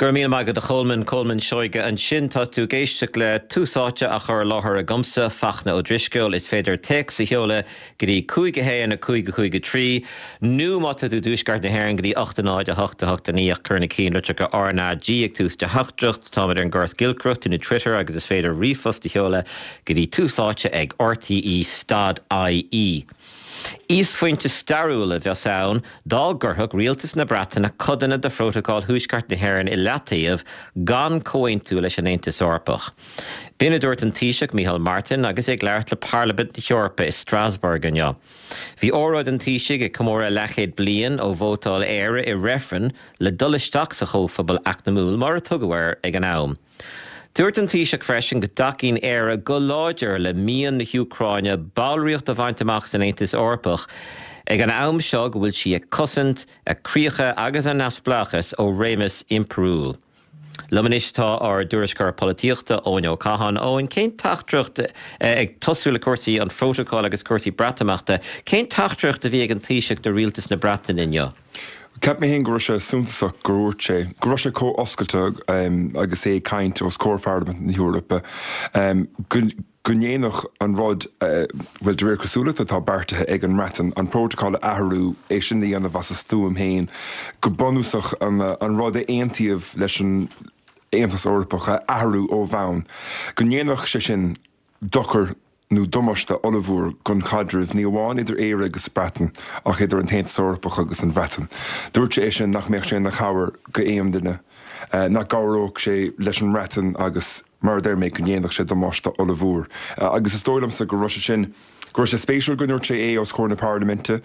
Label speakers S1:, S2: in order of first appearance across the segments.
S1: Go raibh míle maith agat a Cholmáin, Colmán Seoige ansin. Tá tú ag éisteacht le Tús Áite á chur i láthair agamsa, Fachtna Ó Drisceoil. Is féidir téacs a sheoladh go dtí 5 1 5 5 3 nó má tá tú i dTuaisceart na hÉireann go dtí 8 0 8 8 9 ach cuir na ceannlitreacha RnaG ag tús do theachtaireacht. Táimid ar an gcóras giolcaireachta nó Twitter agus is féidir ríomhphost a sheoladh go dtí Tús Áite ag rte stad ie. Íosphointe stairiúil a bheas ann dá gcuirfeadh rialtas na Breataine codanna de Phrótacal Thuaisceart na hÉireann i leataobh gan comhaontú leis an Aontas Eorpach. B'in a dúirt an Taoiseach Micheál Martin agus é ag labhairt le Parlaimint na hEorpa i Strasbourg inniu. Bhí óráid an Taoisigh ag comóradh leathchéad bliain ó vótáil Éire i reifreann le dul isteach sa Chomhphobal Eacnamúil, mar a tugadh air ag an am. Dúirt an Taoiseach freisin go dtacaíonn Éire go láidir le mian na hÚcráine ballraíocht a bhaint amach san Aontas Eorpach ag an am seo go bhfuil sí ag cosaint a críocha agus a neamhspleáchas ó réimeas impiriúil. Liom anois tá ár dtuairisceoir polaitíochta, Eoin Ó Catháin. Eoin, cén teachtaireacht, ag tosú le cúrsaí an phrótacail agus cúrsaí Breatimeachta, cén teachtaireacht a bhí ag an Taoiseach do rialtas na Breataine inniu?
S2: Cheap mé féin go raibh sé suntasach gur dhúirt sé go raibh sé chomh oscailte agus é ag caint os comhair Pharlaimint na hEorpa go go ndéanfadh an rud, bhuel, de réir cosúlachta atá beartaithe ag an mBreatain, an prótacal a athrú, é sin a dhéanamh as a stuaim féin, go bunúsach an rud a aontaíodh leis an Aontas Eorpach a athrú ó bhonn, go ndéanfadh sé sin dochar nó damáiste ollmhór don chaidreamh, ní amháin idir Éire agus Breatain, ach idir an tAontas Eorpach agus an Bhreatain. Dúirt sé é sin nach mbeadh sé ina chabhair go aon duine, nach gcabhródh sé leis an mBreatain agus, mar a deir mé, go ndéanfadh sé damáiste ollmhór. Agus is dóigh liomsa go raibh sé sin, go raibh sé spéisiúil go ndúirt sé é os comhair na Parlaiminte.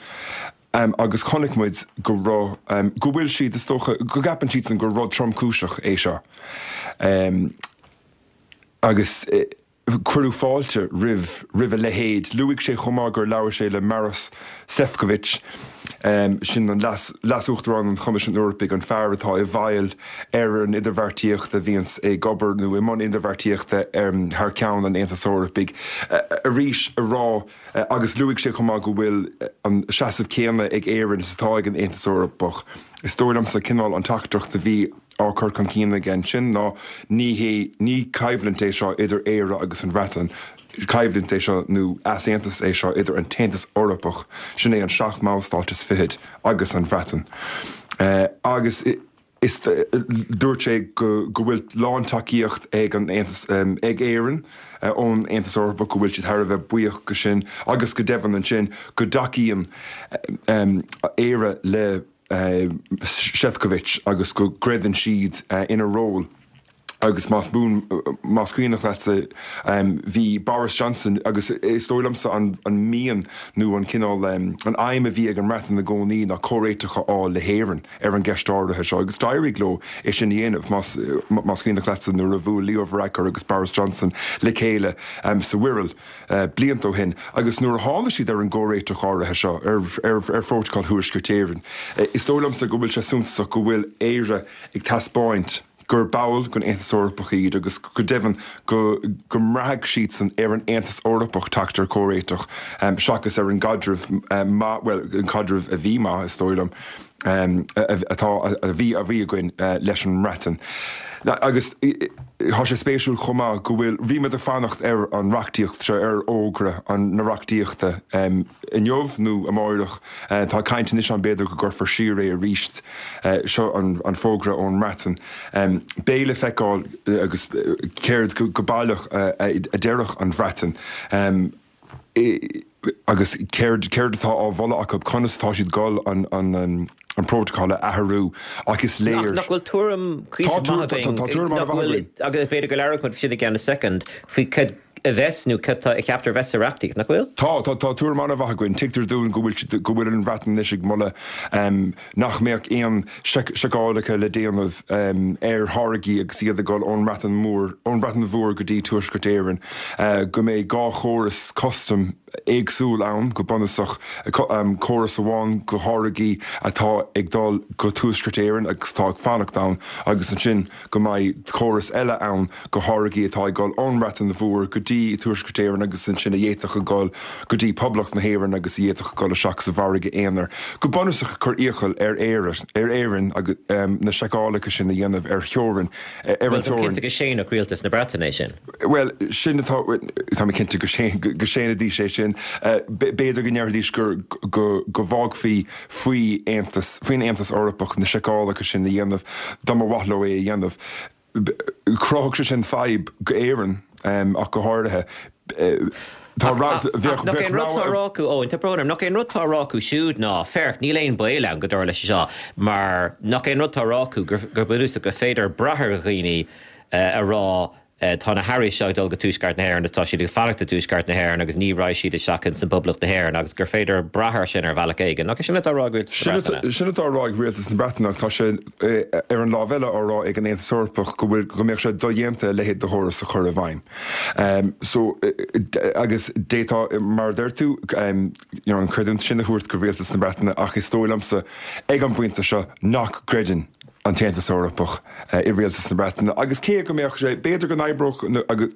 S2: Agus chonaic muid go raibh, go bhfuil siad, is dócha, go gceapann siadsan gur rud tromchúiseach é seo. Agus. Cuireadh fáilte roimh roimh a leithéid. Luaigh sé chomh maith gur labhair sé le Maros Sefcovic, sin an leas Leas-Uachtarán an Choimisiúin Eorpaigh, an fear atá i bhfeighil ar an idirbheartaíocht a bhíonns ag obair nó i mbun idirbheartaíochta thar ceann an Aontais Eorpaigh, arís a rá agus luaigh sé chomh maith go bhfuil an seasamh céanna ag Éirinn is atá ag an Aontas Eorpach. Is dóigh liomsa cineál an teachtaireacht a bhí. á cur chun cinn aige ansin ná ní hé, ní coimhlint é seo idir Éire agus an Bhreatain, coimhlint é seo nó easaontas é seo idir an tAontas Eorpach, sin é an seacht mballstát is fichead, agus an Bhreatain. Agus is, dúirt sé go go bhfuil lántacaíocht ag an Aontas, ag Éirinn ón Aontas Eorpach, go bhfuil siad thar a bheith buíoch go sin agus go deimhin ansin go dtacaíonn Éire le Sefcovic agus go gcreideann siad ina ról agus más buan, más cuimhneach leatsa, bhí Boris Johnson agus is dóigh liomsa an mian nó an cineál, an aidhm a bhí ag an mBreatain i gcónaí ná comhréiteach a fháil le hÉirinn ar an gceist áirithe seo agus d'éirigh leo é sin a dhéanamh, más más cuimhneach leatsa nuair a bhuail Leo Varadkar agus Boris Johnson le chéile sa Wirral. blianta ó shin agus nuair a tháinig siad ar an gcomhréiteach áirithe seo ar Phrótacal Thuaisceart Éireann, is dóigh liomsa go bhfuil sé suntasach go bhfuil Éire ag taispeáint gur ball den Aontas Eorpach iad agus go deimhin go go mbraithfidh siadsan ar an Aontas Eorpach teacht ar chomhréiteach seachas ar an gcaidreamh maith, bhuel, an caidreamh a bhí maith, is dóigh liom. atá, a bhí, a bhí againn leis an mBreatain. Agus tá sé spéisiúil chomh maith go bhfuil, bhí muid ag fanacht ar an reachtaíocht seo, ar fhógra an, na reachtaíochta inniu nó amáireach. Tá caint anois ann b'fhéidir go gcuirfear siar é arís. Seo an, an fógra ón mBreatain. Beidh le feiceáil agus céard go baileach a déarfadh an Bhreatain. Agus céard, céard atá á mholadh acu, conas atá siad ag dul an, an, an prótacal a athrú ach is léir.
S1: Nach bhfuil tuairim cuíosach maith againn,
S2: Tá tuairim
S1: nach
S2: an-mhaith
S1: bhfuil,
S2: againn.
S1: agus b'fhéidir go labhróidh muid faoi sin i gceann soicind, faoi cad a bheas nó cad tá a cheaptar a bheas sa reachtaíocht, nach bhfuil?
S2: Tá, tá, tá tuairim an-mhaith againn. Tuigtear dúinn go bhfuil siad, go bhfuil an Bhreatain anois ag moladh nach mbeadh aon seiceálacha le déanamh ar tháirgí agus iad ag dul ón mBreatain Mhór, ón Bhreatain Mhór go dtí Tuaisceart Éireann, go mbeidh 2 chóras custaim. éagsúil ann go bunúsach, córas amháin do tháirgí atá ag dul go Tuaisceart Éireann agus atá ag fanacht ann agus ansin go mbeidh córas eile ann do tháirgí atá ag dul ón mBreatain Mhór go dtí Tuaisceart Éireann agus ansin a d'fhéadfadh a dhul go dtí Poblacht na hÉireann agus a d'fhéadfadh a dhul isteach sa mhargadh aonair. Go bunúsach ag cur iachall ar Éire, ar Éirinn na seiceálacha sin a dhéanamh ar theorainn, ar
S1: an teorainn. Bhuel, táim cinnte go séanfadh Rialtas na Breataine é sin.
S2: Bhuel, sin atá, tá mé cinnte go séanfaidís é sin. B'fhéidir go ndéarfaidís gur, go, go bhfágfaí faoi Aontas, faoin Aontas Eorpach na seiceálacha sin a dhéanamh dá mba mhaith leo é a dhéanamh. Chruthódh sé sin fadhb go Éirinn ach go háirithe.
S1: Tá, bheadh, Nach é an rud atá á rá acu, Eoin, tá brón orm, nach é an rud atá á rá acu siúd ná, féach, níl aon baol ann go dtarlóidh sé seo, mar nach é an rud atá á rá acu gur, gur bunúsach gur féidir brath ar dhaoine a rá tá na hearraí seo ag dul go Tuaisceart na hÉireann agus tá siad ag fanacht i dTuaisceart na hÉireann agus ní raghaidh siad isteach ins an bPoblacht na hÉireann agus gur féidir brath air sin ar bhealach éigin. Nach é sin atá á rá ag Rialtas na
S2: Breataine? Sin atá á rá ag Rialtas na Breataine ach tá sé ar an lámh eile á rá ag an Aontas Eorpach go bhfuil, go mbeadh sé dodhéanta a leithéid de chóras a chur i bhfeidhm. So, agus d'fhéadfá, mar a deir tú, you know, an chreidiúint sin a thabhairt go Rialtas na Breataine ach is dóigh liomsa ag an bpointe seo nach gcreideann an tAontas Eorpach i Rialtas na Breataine agus cé go mbeadh sé, b'fhéidir go n-oibreodh,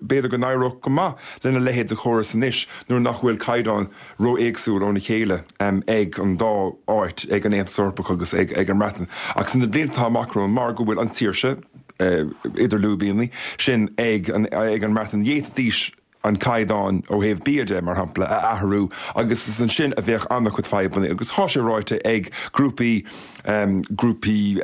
S2: b'fhéidir go n-éireodh go maith lena leithéid de chóras anois nuair nach bhfuil caighdeáin ró-éagsúil óna chéile ag an dá áit, ag an Aontas Eorpach agus ag an mBreatain. Ach sna blianta atá amach romhainn, mar go bhfuil an tsaoirse, idir lúibíní, sin ag an mBreatain, d'fhéadfaidís an caighdeán ó thaobh bia de, mar shampla, a athrú agus is ansin a bheadh an-chuid fadhbanna agus tá sé ráite ag grúpaí, grúpaí,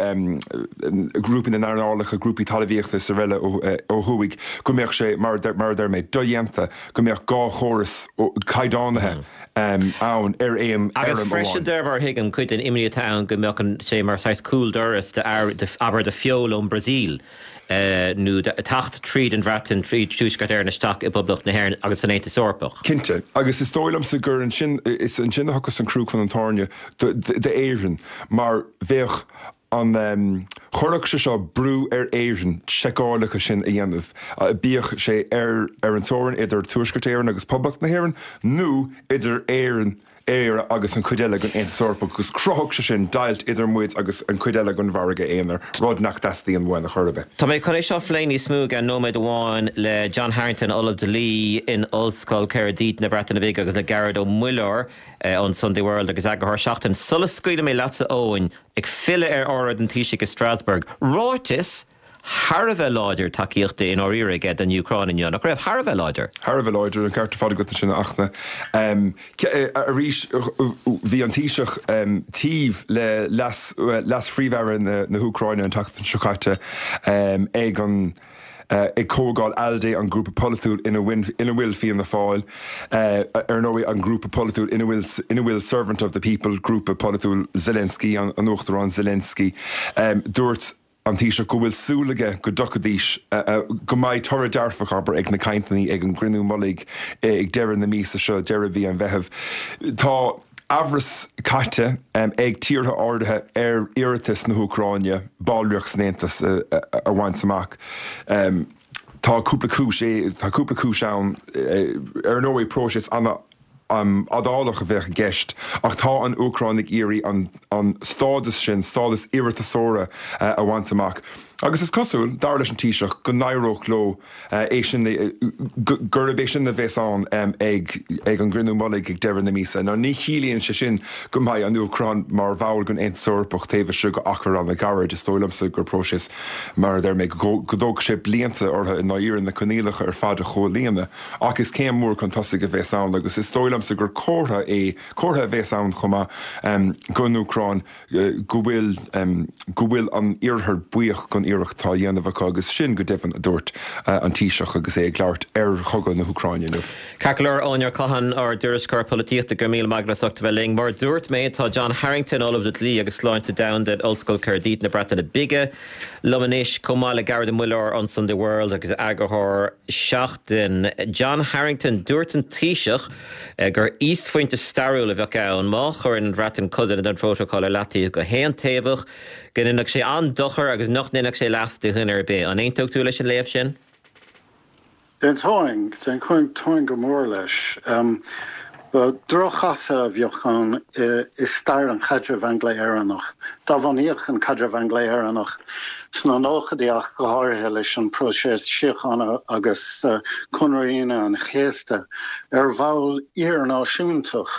S2: grúpaí na n-earnálacha, grúpaí talmhaíochta is araile ó thuaidh go mbeadh sé, mar a deir mé, dodhéanta go mbeadh dhá chóras caighdeánaithe ann ar aon fheirm
S1: Agus freisin amháin. de mar a thuigim, cuid den imní atá ann go mbeadh sé mar saghas cúldoras d'abair, do feoil ón Brasaíl. nó teacht tríd an Bhreatain, tríd Tuaisceart Éireann isteach i bPoblacht na hÉireann agus san Aontas Eorpach.
S2: Cinnte. Agus is dóigh liomsa gur ansin, is ansin a thiocfas an crú chun an tairne d'Éirinn mar bheadh an, chuirfeadh sé seo brú ar Éirinn seiceálacha sin a dhéanamh, bíodh sé ar ar an teorainn idir Tuaisceart Éireann agus Poblacht na hÉireann nó idir Éirinn Éire agus an chuid eile den Aontas Eorpach agus chruthódh sé sin deighilt idir muid agus an chuid eile den mhargadh aonair, rud nach dteastaíonn uainn a chor ar bith.
S1: Tá mé chun é seo a phlé níos mó i gceann nóiméad amháin le John Harrington, Ollamh Dlí in Ollscoil Caerdydd na Breataine Bige agus le Gearóid Ó Muilleoir ón Sunday World agus eagarthóir Seachtain. Sula scaoilfidh mé leatsa Eoin, ag filleadh ar óráid an Taoisigh i Strasbourg, ráiteas thar a bheith láidir tacaíochta i ndáiríre aige don Úcráin inniu, nach raibh? Thar a bheith láidir.
S2: Thar a bheith láidir, an ceart ar fad agat ansin, a Fhachtna. Arís, bhí an Taoiseach taobh le leas-phríomh-aire na hÚcráine an tseachtain seo caite ag an ag comhdháil ALDE, an grúpa polaitiúil ina bhfuil Fianna Fáil, ar ndóigh, an grúpa polaitiúil ina bhfuil ina bhfuil Servant of the People, grúpa polaitiúil Zelensky, an Uachtarán Zelensky. Dúirt. an Taoiseach go bhfuil súil aige go dtiocfaidís, go mbeidh toradh dearfach, abair, ag na cainteanna ag an gcruinniú mullaigh ag deireadh na míosa seo, deireadh mhí an Mheithimh. Tá amhras caite ag tíortha áirithe ar iarratas na hÚcráine ballraíocht san Aontas a bhaint amach. Tá cúpla cúis, tá cúpla cúis ann, ar ndóigh, próiseas ana. fhadálach a bheadh i gceist ach tá an Úcráin ag iarraidh an stádas sin, stádas iarratasóra, a bhaint amach agus is cosúil, dar leis an Taoiseach, go n-éireodh leo é sin, gurb é sin a bheas ann ag an gcruinniú mullaigh ag deireadh na míosa. Now ní chiallaíonn sé sin go mbeidh an Úcráin mar bhall den Aontas Eorpach taobh istigh d'achar an-ghairid. Is dóigh liomsa gur próiseas, mar a deir mé, go dtógfaidh sé blianta orthu i ndáiríre na coinníollacha ar fad a chomhlíonadh. Ach is céim mhór chun tosaigh a bheas ann agus is dóigh liomsa gur comhartha é, comhartha a bheas ann chomh maith don Úcráin go bhfuil, go bhfuil an Iarthar buíoch den iarracht atá á dhéanamh acu agus sin, go deimhin, a dúirt an Taoiseach agus é ag labhairt ar chogadh na hÚcráine inniu.
S1: Ceart go leor, Eoin Ó Catháin, ár dtuairisceoir polaitíochta, go raibh míle maith agat as ucht a bheith linn. Mar a dúirt mé, tá John Harrington, Ollamh le Dlí agus Sláinte Domhanda in Ollscoil Caerdydd na Breataine Bige, liom anois, chomh maith le Gearóid Ó Muilleoir ón Sunday World agus eagarthóir Seachtain, John Harrington. Dúirt an Taoiseach gur íosphointe stairiúil a bheadh ann má chuireann an Bhreatain codanna den phrótacal ar leataobh go haontaobhach, go ndéanfadh sé an-dochar agus nach ndéanfadh sé leas do dhuine ar bith. An aontódh tú leis an léamh sin?
S3: D'aontóinn, d'aontóinn go mór leis. Droch-chasadh a bheadh ann i stair an chaidrimh Angla-Éireannach. Dá bhunaíodh an caidreamh Angla-Éireannach sna nóchaidí ach go háirithe leis an bpróiseas síochána agus Conradh Aoine an Chéasta ar bhonn iar-náisiúntach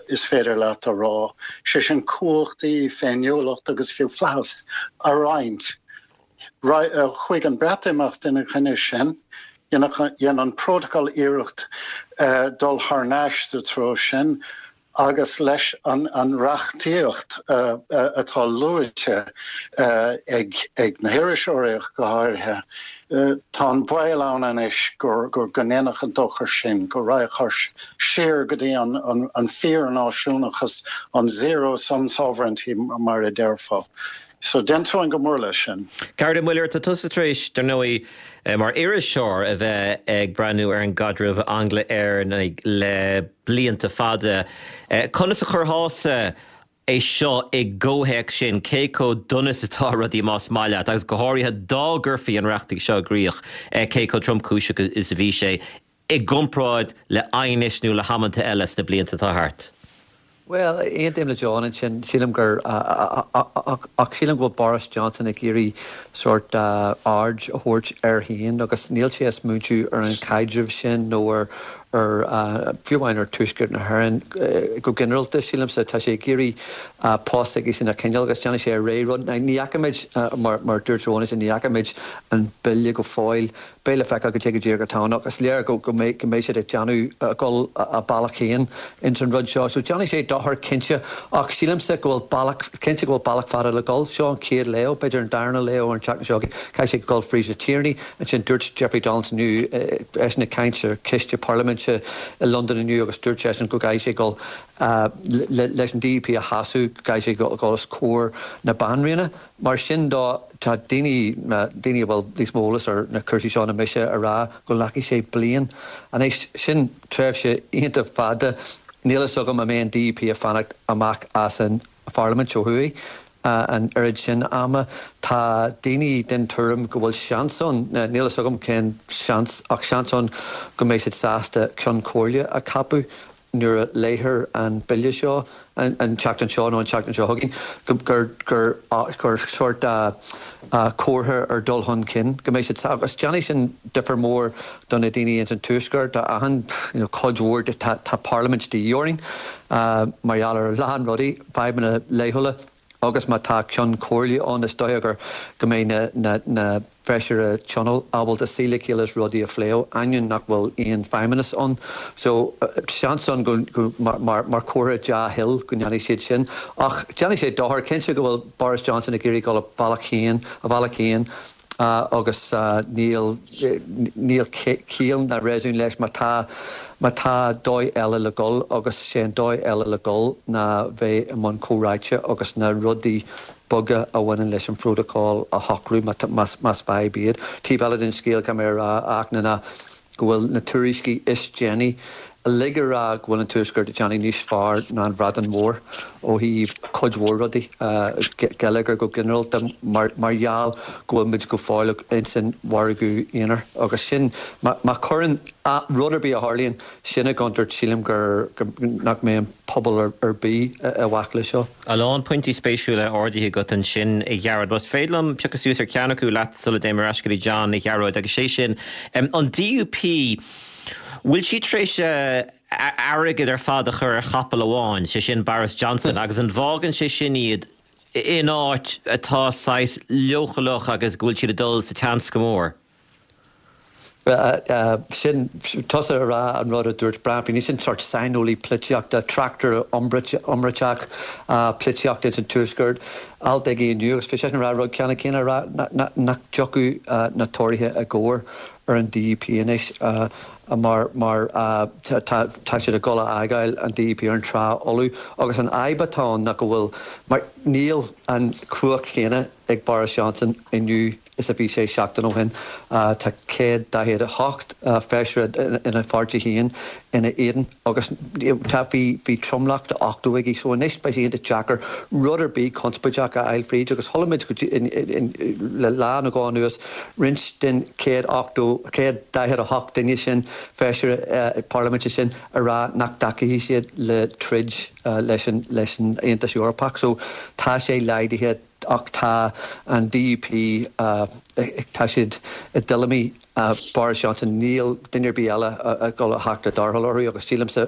S3: is féidir leat a rá, sé sin cumhachtaí, féiniúlacht agus fiú flaitheas a roinnt. Chuaigh an Breatimeacht ina choinne sin. Dhein an Prótacal iarracht dul thar n-ais sa treo sin agus leis an reachtaíocht atá luaite ag na hiriseoirí ach go háirithe, tá an baol ann anois go ndéanfadh an dochar sin, go raghadh siar go dtí an fíor-náisiúnachas, an zero-sum sovereignty mar a déarfá. So, d'aontóinn go mór leis sin.
S1: Gearóid Ó Muilleoir, tá tusa tar éis, dar ndóigh, mar iriseoir a bheith ag breathnú ar an gcaidreamh Angla-Éireannaigh le blianta fada. Conas a chuirfeása é seo i gcomhthéacs sin, cé chomh dona is atá rudaí más maith leat, agus go háirithe dá gcuirfí an reachtaíocht seo i gcrích, cé chomh tromchúiseach is a bhí sé i gcomparáid le aighnis nó le hamanta eile sna blianta atá thart?
S4: Bhuel, aontaím le John ansin. Sílim gur, ach sílim go bhfuil Boris Johnson ag iarraidh sórt aird a thabhairt air féin agus níl sé ag smaointiú ar an chaidreamh sin nó ar, ar, fiú amháin ar Tuaisceart na hÉireann go ginearálta, sílimse. Tá sé ag iarraidh post s'aigesean a choinneáil agus déanfaidh sé a rogha rud. Ní fheicimid, mar a dúirt John ansin, ní fheicimid an bille go fóill. Beidh le feiceáil cad é go díreach atá ann ach is léir go mbeidh siad ag déanamh, ag dul a bealach féin ins an rud seo. So déanfaidh sé dochar cinnte ach sílimse go bhfuil bealach, cinnte go bhfuil bealach fada le dul. Seo an chéad léamh, b'fhéidir an darna léamh ar an tseachtain seo chugainn. Caithfidh sé dul fríd na Tiarnaí. Ansin dúirt Jeffrey Donaldson inniu, eisean ag caint ar choiste parlaiminte i Londain inniu agus dúirt seisean go gcaithfidh sé dul leis an DUP a shásamh, go gcaithfidh sé dul os comhair na Banríona. Mar sin de, tá daoine, daoine a bhfuil níos mó eolas ar na cúrsaí seo ná mise, ag rá go nglacfaidh sé bliain. Anois, sin tréimhse iontach fada. Níl fhios agam an mbeidh an DUP ag fanacht amach as an pharlaimint ó thuaidh an oiread sin ama. Tá daoine den tuairim go bhfuil seans ann, níl fhios agam cén seans, ach seans ann go mbeidh siad sásta Ceann Comhairle a cheapadh nuair a léifear an bille seo an tseachtain seo nó an tseachtain seo chugainn, gur gur gur sórt comhartha ar dul chun cinn go mbeidh siad agus déanfaidh sin difear mór do na daoine ins an Tuaisceart a aithin you know cuid mhór de tá tá parlaimint de dhíth orainn mar gheall ar a lán rudaí, fadhbanna laethúla agus má tá ceann comhairle ann is dóiche gur go mbeidh na na na Feisire Tionóil ábalta suí le chéile is rudaí a phlé, ainneoin nach bhfuil aon feidhmeannas ann. So, seans ann go, go, mar, mar, mar chomhartha dea-thoil go ndéanfaidh siad sin. Ach déanfaidh sé dochar, cinnte go bhfuil Boris Johnson ag iarraidh dul a bhealach féin, a bhealach féin agus níl, níl ciall ná réasún leis má tá, má tá dóigh eile le dul agus sé an dóigh eile le dul ná bheith i mbun comhráite agus na rudaí beaga a bhaineann leis an phrótacal a shocrú más fadhb iad. Taobh eile den scéal, caithfidh mé a rá, a Fhachtna, ná go bhfuil na tuairiscí is déanaí uilig ag rá go bhfuil an Tuaisceart ag déanamh níos fearr ná an Bhreatain Mhór ó thaobh cuid mhór rudaí, geilleagar go ginearálta, mar gheall go bhfuil muid go fóill ins an mhargadh aonair. Agus sin, má chuireann rud ar bith a tharlaíonn sin i gcontúirt, sílim gur nach mbeidh an pobal ar bith i bhfách leis seo.
S1: A lán pointí spéisiúla ardaithe agat ansin, a Ghearóid. Más féidir liom piocadh suas ar cheann acu leat sula dtéim ar ais go dtí John, a Ghearóid, agus sé sin, an DUP, bhfuil siad tar éis a airgead ar fad a chur ar chapall amháin, sé sin Boris Johnson, agus an bhfágann sé sin iad in áit atá saghas leochaileach agus go bhfuil siad ag dul sa tseans go mór?
S4: Sin tusa ag rá an rud a dúirt Brian Feeney, sin sórt saineolaí polaitíochta, tráchtaire iomráiteach polaitíochta ins an Tuaisceart, alt aige inniu agus bhí seisean ag rá rud ceannann céanna, ag rá nach dtiocfadh na Tóraithe i gcabhair ar an DUP anois mar mar tá tá siad ag dul a fhágáil an DUP ar an trá fholamh agus an fhadhb atá ann ná go bhfuil mar níl an chumhacht chéanna ag Boris Johnson inniu is a bhí sé seachtain ó shin. Tá 148 feisire ina pháirtí féin. ina éadan agus tá bhí bhí tromlach de 80 aige so anois beidh sé iontach deacair rud ar bith conspóideach a fháil fríd agus chuala muid go dtí le lá nó dhó anuas roinnt den 180 148 duine sin feisire parlaiminte sin a rá nach dtacóidh siad le troid leis an leis an Aontas Eorpach so tá sé laghdaithe Ach tá an DUP, tá siad i dtuilleamaí Boris Johnson, níl duine ar bith eile ag dul a theacht i dtarrtháil orthu agus sílimse,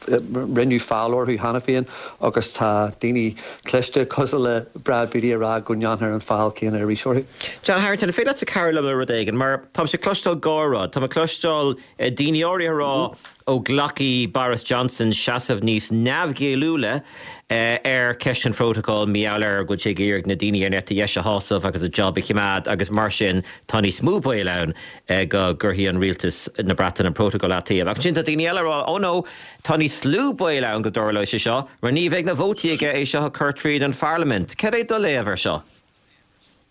S4: rinneadh feall orthu cheana féin agus tá daoine cliste cosúil le Brad Beattie ag rá go ndéanfar an feall céanna arís orthu.
S1: John Harrington, an féidir leatsa cabhrú liom le rud éigin? Mar táimse ag cloisteáil dhá rud. Táim ag cloisteáil daoine áirithe ag rá ó glacfaidh Boris Johnson seasamh níos neamhghéilliúla ar cheist an phrótacail mar gheall ar go bhfuil sé ag iarraidh na daoine ar an eite dheis a shásamh agus a job a choimeád agus mar sin tá níos mó baol ann go gcuirfidh an rialtas na Breataine an prótacal i leataobh. Ach ansin tá daoine eile ag rá oh no, tá níos lú baol ann go dtarlóidh sé seo mar ní bheidh na vótaí aige é seo a chur tríd an pharlaimint. Cad é do léamh ar seo?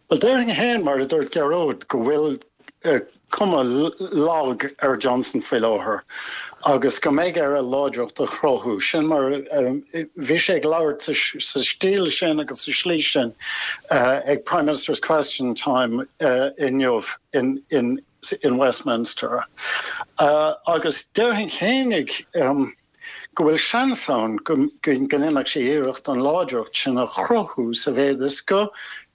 S3: Bhuel, déarfainn féin, mar a dúirt Gearóid, go bhfuil cuma lag ar Johnson faoi láthair agus go mbeidh air a láidreacht a chruthú. Sin mar bhí sé ag labhairt sa stíl sin agus sa slí sin ag Prime Minister's Question Time inniu in Westminster. Agus déarfainn féinig, go bhfuil seans ann go ndéanfadh sé iarracht an láidreacht sin a chruthú sa mhéad is go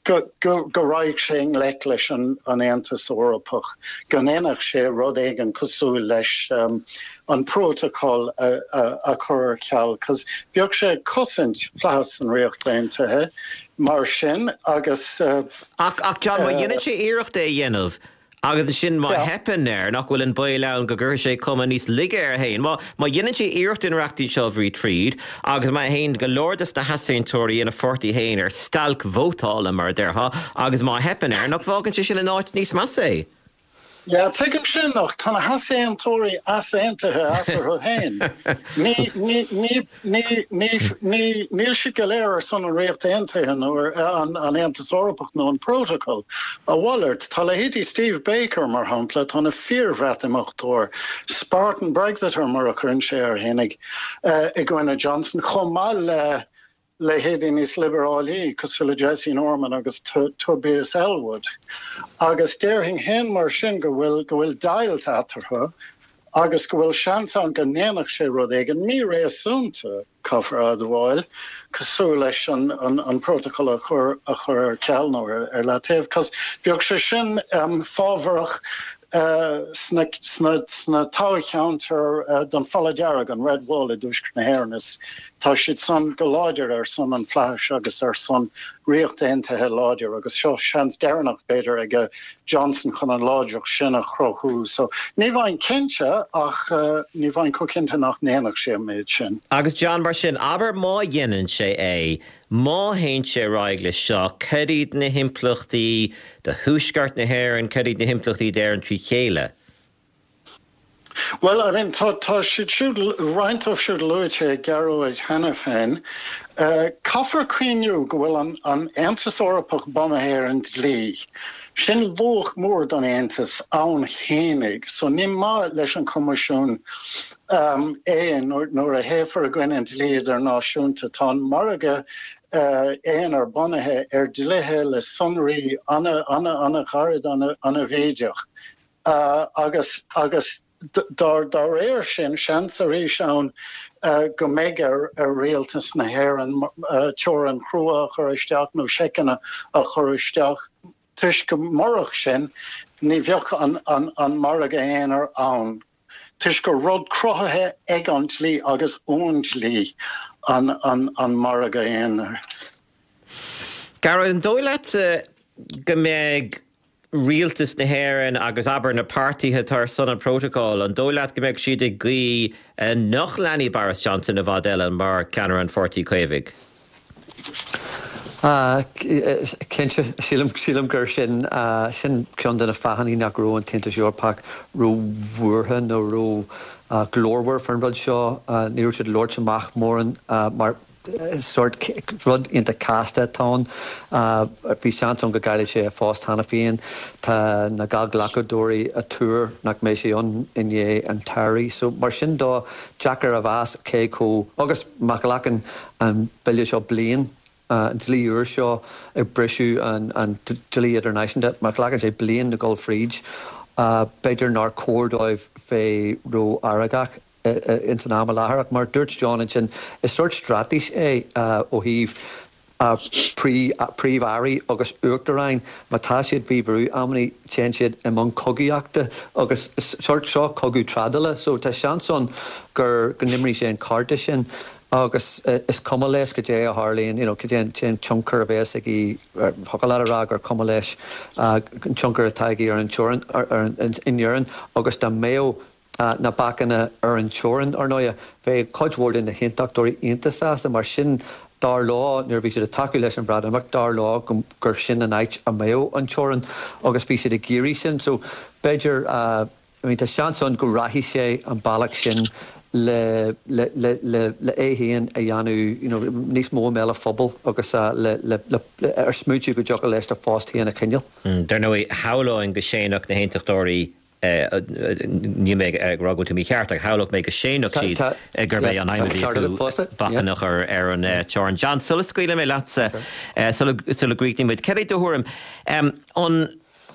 S3: go raghadh sé i ngleic leis an Aontas Eorpach, go ndéanfadh sé rud éigin cosúil leis an Prótacal a chur ar ceal, cos bheadh sé ag cosaint flaitheas an Ríocht Aontaithe mar sin agus.
S1: Ach John, má dhéanann sé iarracht é a dhéanamh, Agus ansin má theipeann air, nach bhfuil an baol ann go gcuirfidh sé cuma níos laige air féin? Má má dhéanann sé iarracht an reachtaíocht seo a bhrú tríd, agus má théann go leor de na heasaontóirí ina pháirtí féin ar stailc vótála, mar a déarfá, agus má theipeann air, nach bhfágann sé sin in áit níos measa é?
S3: Yeah, tuigim sin, ach tá na heasaontóirí easaontaithe eatarthu féin. Ní, ní, ní, Ní, ní, ní, níl siad go léir ar son an Ríocht Aontaithe nó ar an an Aontas Eorpach nó an Prótacal. A mhalairt, tá leithéidí Steve Baker, mar shampla, atá ina fíor-Bhreatimeachtóir, Spartan Brexiter mar a chuireann sé air fhéinig, i gcoinne Johnson, chomh maith le leithéidí níos liobarálaí cosúil le Jesse Norman agus Tobias Ellwood. Agus déarfainn féin mar sin go bhfuil, go bhfuil deighilt eatarthu. agus go bhfuil seans ann go ndéanfadh sé rud éigin míréasúnta, caithfear a admháil, cosúil leis an Prótacal a chur a chur ar ceal nó ar leataobh, cos bheadh sé sin fábharach sna sna toghcheantair don Falla Dearg, an Red Wall i dTuaisceart na hÉireann. Is tá siad san go láidir ar son an fhlaithis agus ar son Ríocht Aontaithe láidir agus seo seans deireanach, b'fhéidir, ag Johnson chun an láidreacht sin a chruthú. So, ní bheinn cinnte ach ní bheinn chomh cinnte nach ndéanfadh sé an méid sin.
S1: Agus John, mar sin, abair má dhéanann sé é, má théann sé ar aghaidh leis seo, cad iad na himpleachtaí do Thuaisceart na hÉireann, cad iad na himpleachtaí d'Éirinn trí chéile?
S3: Bhuel, I mean, tá, tá siad siúd, roinnt dóibh siúd luaite ag Gearóid cheana féin. Caithfear cuimhniú go bhfuil an, an Aontas Eorpach bunaithe ar an dlí. Sin luach mór don Aontas ann fhéinig. So ní maith leis an Choimisiún é nuair, nuair a théifear i gcoinne an dlí idirnáisiúnta. Tá an margadh aonair bunaithe ar dlíthe le sonraí ana, ana, ana-ghairid, ana, ana-bhídeach. Agus agus dá dá réir sin, seans arís ann go mbeidh ar ar rialtas na hÉireann teorainn chrua a chur isteach nó seiceanna a chur isteach toisc go murach sin ní bheadh an an an margadh aonair ann toisc gur rud cruthaithe ag an dlí agus ón dlí an an an margadh aonair.
S1: Gearóid, an dóigh leat go mbeidh rialtas na hÉireann agus, abair, na páirtithe atá ar son an phrótacail, an dóigh leat go mbeadh siad ag guí nach leanfaidh Boris Johnson i bhfad eile mar cheannaire an Pháirtí Chaomhaigh?
S4: Cinnte, sílim, sílim gur sin, sin ceann de na fáthanna nach raibh an tAontas Eorpach ró-bhuartha nó ró-ghlórmhar faoin rud seo. Ní raibh siad ag labhairt amach mórán mar. Sórt rud iontach casta atá ann. Bhí seans ann go gcaillfeadh sé a phost cheana féin. Tá na Gallghlacadóirí ag tuar nach mbeidh sé ann i ndiaidh an tsamhraidh. So mar sin de, deacair a mheas cé chomh, agus má ghlacann an bille seo bliain, an dlí úr seo ag briseadh an dlí idirnáisiúnta, má ghlacann sé bliain le dhul fríd, b'fhéidir nár chóir dóibh bheith ró-fheargach. ins an am i láthair. Ach mar a dúirt John ansin, is sórt straitéis é ó thaobh príomh-airí agus uachtaráin, má tá siad faoi bhrú amannaí téann siad i mbun cogaíochta agus is sórt seo cogadh trádála so tá seans ann gur go n-imreoidh sé an cárta sin agus is cuma leis cad é a tharlaíonn, you know, cad é an tionchar a bheas aige, thiocfadh leat a rá gur cuma leis an tionchar atá aige ar an teorainn, ar, in Éirinn agus dá mbeadh na bacanna ar an teorainn, ar ndóighe. Bheadh cuid mhór de na hAontachtóirí iontach sásta, mar sin, dar leo, nuair a bhí siad ag tacú leis an Bhreatimeacht, dar leo gur sin an áit a mbeadh an teorainn agus bhí siad ag iarraidh sin. So, b'fhéidir, I mean, tá seans ann go rachaidh sé an bealach sin le, le, le, le, le é féin a dhéanamh, you know, níos mó i mbéal an phobail agus le, le, le, ar smaointiú go dtiocfadh leis a phost féin a choinneáil.
S1: Dar ndóigh, shamhlóinn go séanfadh na hAontachtóirí Níl mé ag rá go bhfuil tú mícheart, ach shamhlódh mé go séanfadh siad gurb é an aidhm a bhí acu bacanna a chur ar an teorainn. John, sula scaoilfidh mé leatsa, sula gcríochnaíonn muid, cad é do thuairim?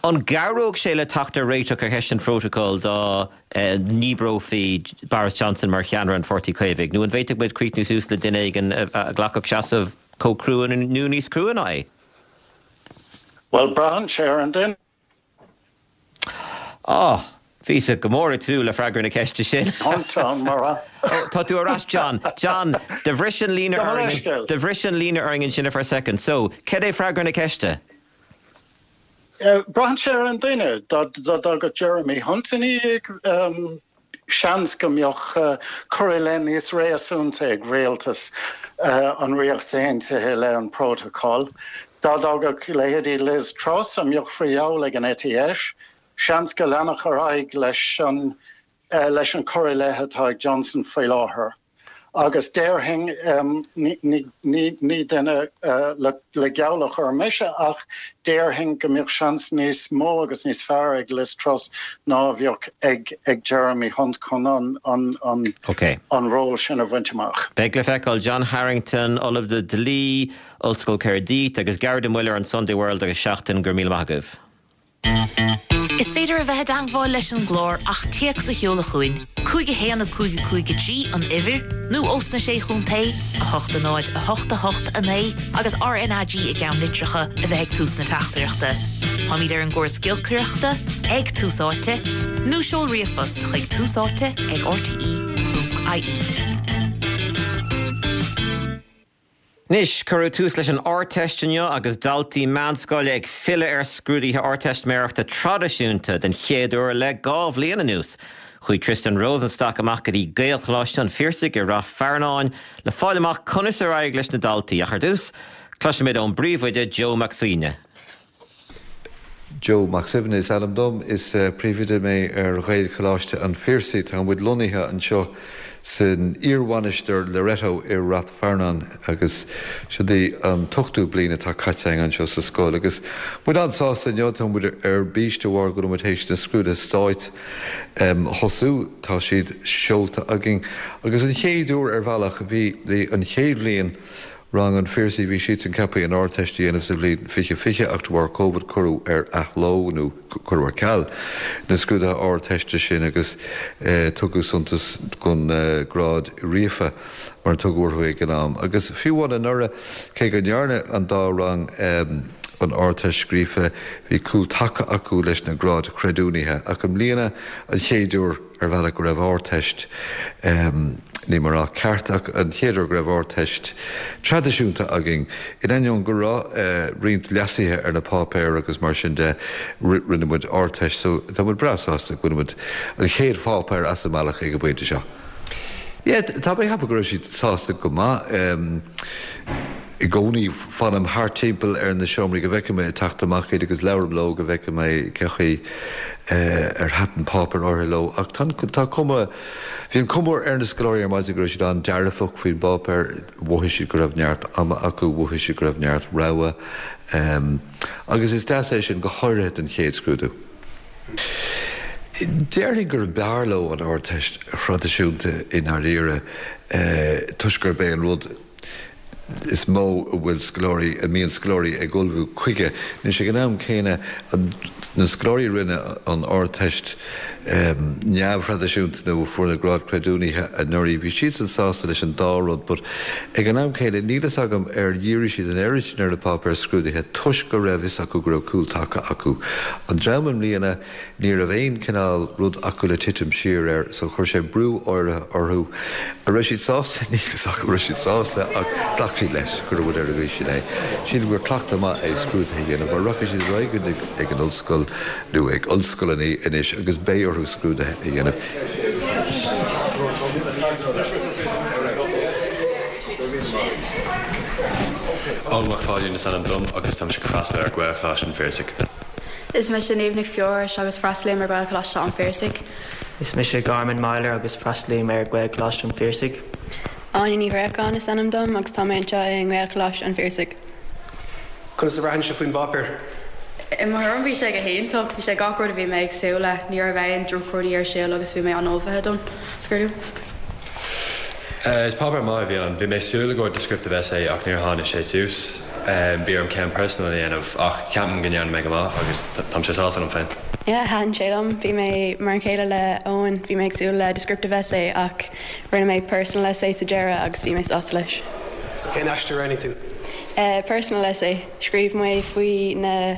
S1: An gcabhródh sé le teacht ar réiteach ar cheist an phrótacail dá ndíbreofaí Boris Johnson mar cheannaire an Pháirtí Chaomhaigh, nó an bhféadfadh muid críochnú suas le duine éigin a ghlacfadh seasamh chomh crua nó níos crua ná é?
S3: Bhuel, braitheann sé ar an duine.
S1: Á! Bhíos go mór ag tnúth le freagra na ceiste sin. Ó, tá tú ar ais, John. John, do bhris an líne orainn, do bhris an líne orainn ansin for a second. So, cad é freagra na ceiste?
S3: Braitheann sé ar an duine. Dá dtoghfadh Jeremy Hunt ina dhiaidh, seans go mbeadh cur i leith níos réasúnta ag rialtas an Ríocht Aontaithe i leith an Prótacal. Dá dtoghfadh leithéidí Liz Truss, a mbeadh faoi gheall ag an eite dheis, seans go leanfadh ar aghaidh leis an leis an cur i leith atá ag Johnson faoi láthair. Agus déarfainn, ní duine le geall a chur mise, ach déarfainn go mbeadh seans níos mó agus níos fearr ag Liz Truss ná a bheadh ag Jeremy Hunt chun an ról sin a bhaint amach.
S1: Beidh le feiceáil. John Harrington, Ollamh le Dlí, Ollscoil Caerdydd, agus Gearóid Ó Muilleoir, an Sunday World agus Seachtain, go raibh míle maith agaibh.
S5: Is féidir a bheith i dteangmháil leis an gclár ach téacs a sheoladh chugainn, 5 1 5 5 3 an uimhir, nó ós na Sé Chontae, 8 0 8 8 9 agus RnaG i gceannlitreacha a bheith ag tús na teachtaireachta. Táimid ar an gcóras giolcaireachta, ag Tús Áite, nó seol ríomhphost chuig túsáite ag rte.ie.
S1: Anois, cuireadh tús leis an Ardteist inniu agus daltaí meánscoile ag filleadh ar scrúduithe Ardteistiméireachta traidisiúnta den chéad uair le 2 bhliain anuas. Chuaigh Tristan Rosenstock amach go dtí Gaelcholáiste an Phiarsaigh i Rath Fearnáin le fáil amach conas ar éirigh leis na daltaí. Ach ar dtús, cloisfimid ón bpríomhoide Joe Mac Suibhne.
S6: Joe Mac Suibhne is ainm dom. Is príomhoide mé ar Ghaelcholáiste an Phiarsaigh. Tá muid lonnaithe anseo san iar-mhainistir Loreto i Rath Fearnáin agus siod í an t-ochtú bliain atá caite againn anseo sa scoil agus muid an-sásta inniu. Tá muid ar bís de bharr go bhfuil muid théis na scrúduithe stáit a thosú. Tá siad seolta againn agus an chéad uair ar bhealach bhí an chéad bhliain Rang an Phiarsaigh, bhí siadsan ceaptha an Ardteist a dhéanamh sa bhliain 2020 ach de bharr Covid cuireadh ar athló nó cuireadh ar ceal na scrúduithe Ardteiste sin agus tugadh suntas don grád ríofa mar a tugadh orthu ag an am. Agus fiú amháin anuraidh, cé go ndearna an dá rang an Ardteist scríofa, bhí cúl taca acu leis na gráid chreidiúnaithe ach i mbliana an chéad uair, ar bhealach go raibh Ardteist, níl mé ag rá ceart ach an chéad uair go raibh Ardteist traidisiúnta againn, in ainneoin go raibh roinnt leasuithe ar na páipéir agus mar sin de, rinne muid Ardteist so tá muid breá sásta go bhfuil muid an chéad pháipéar as an mbealach ag an bpointe seo. Yeah, tá mé ag ceapadh go raibh siad sásta go maith. I gcónaí fanaim thart timpeall ar na seomraí go bhfeicfidh mé ag teacht amach iad agus labhraím leo go bhfeicfidh mé cé chaoi ar thaitin an páipéar áirithe leo. Ach tá, tá cuma, bhí an cuma ar na scoláirí ar maidin go raibh siad an-dearfach faoin bpáipéar, mhothaigh siad go raibh neart ama acu, mhothaigh siad go raibh neart rogha. Agus is deas é sin, go háirithe don chéad scrúdú. Déarfainn gurb fhearr leo an Ardteist thraidisiúnta i ndáiríre toisc gurb é an rud is mó a bhfuil scoláirí, a mbíonn scoláirí ag ullmhú chuige. Anois, ag an am céanna, na scoláirí a rinne an Ardteist neamhthraidisiúnta nó a fuair na gráid creidiúnaithe anuraidh, bhí siadsan sásta leis an dá rud but ag an am céanna níl fhios agam ar dhírigh siad an oiread sin ar na páipéir scrúdaithe toisc go raibh fhios acu go raibh cúl taca acu. An dream i mbliana, Ní raibh aon chineál rud acu le titim siar air so chuir sé brú áirithe orthu. An raibh siad sásta? Níl fhios agam an raibh siad sásta ach ghlac siad leis go raibh rud ar an gcaoi sin é. Sílim gur cleachtadh maith é scrúduithe a dhéanamh mar rachaidh siad ar aghaidh ag an ollscoil nó ag ollscoileanna anois agus beidh orthu scrúduithe a dhéanamh.
S7: Eoin Mac Pháidín is ainm dom agus táimse ag freastal ar Ghaelcholáiste an Phiarsaigh.
S8: Is mise Niamh Nic Feorais agus freastalaím ar Ghaelcholáiste an Phiarsaigh.
S9: Is mise Garman Myler agus freastalaím ar Ghaelcholáiste an Phiarsaigh.
S8: Áine Ní Ghréacháin is ainm dom agus tá mé anseo i nGaelcholáiste an Phiarsaigh.
S10: Conas a bhraitheann sibh faoin bpáipéar?
S8: I mo thuairim bhí sé go hiontach, bhí sé gach rud a bhí mé ag súil le, ní raibh aon drochrudaí ar siúl agus bhí mé an-ullmhaithe don scrúdú.
S7: Is páipéar maith a bhí ann. Bhí mé ag súil i gcomhair descriptive essay ach níor tháinig sé suas. Bhí orm ceann personal a dhéanamh ach ceapaim go ndearna mé go maith agus táimse sásta liom féin.
S8: Yeah, thaitin sé liom. Bhí mé mar a chéile le Eoin, bhí mé ag súil le descriptive essay ach rinne mé personal essay sa deireadh agus bhí mé sásta leis.
S10: So cén aiste a roghnaigh tú?
S8: Personal essay. Scríobh mé faoi na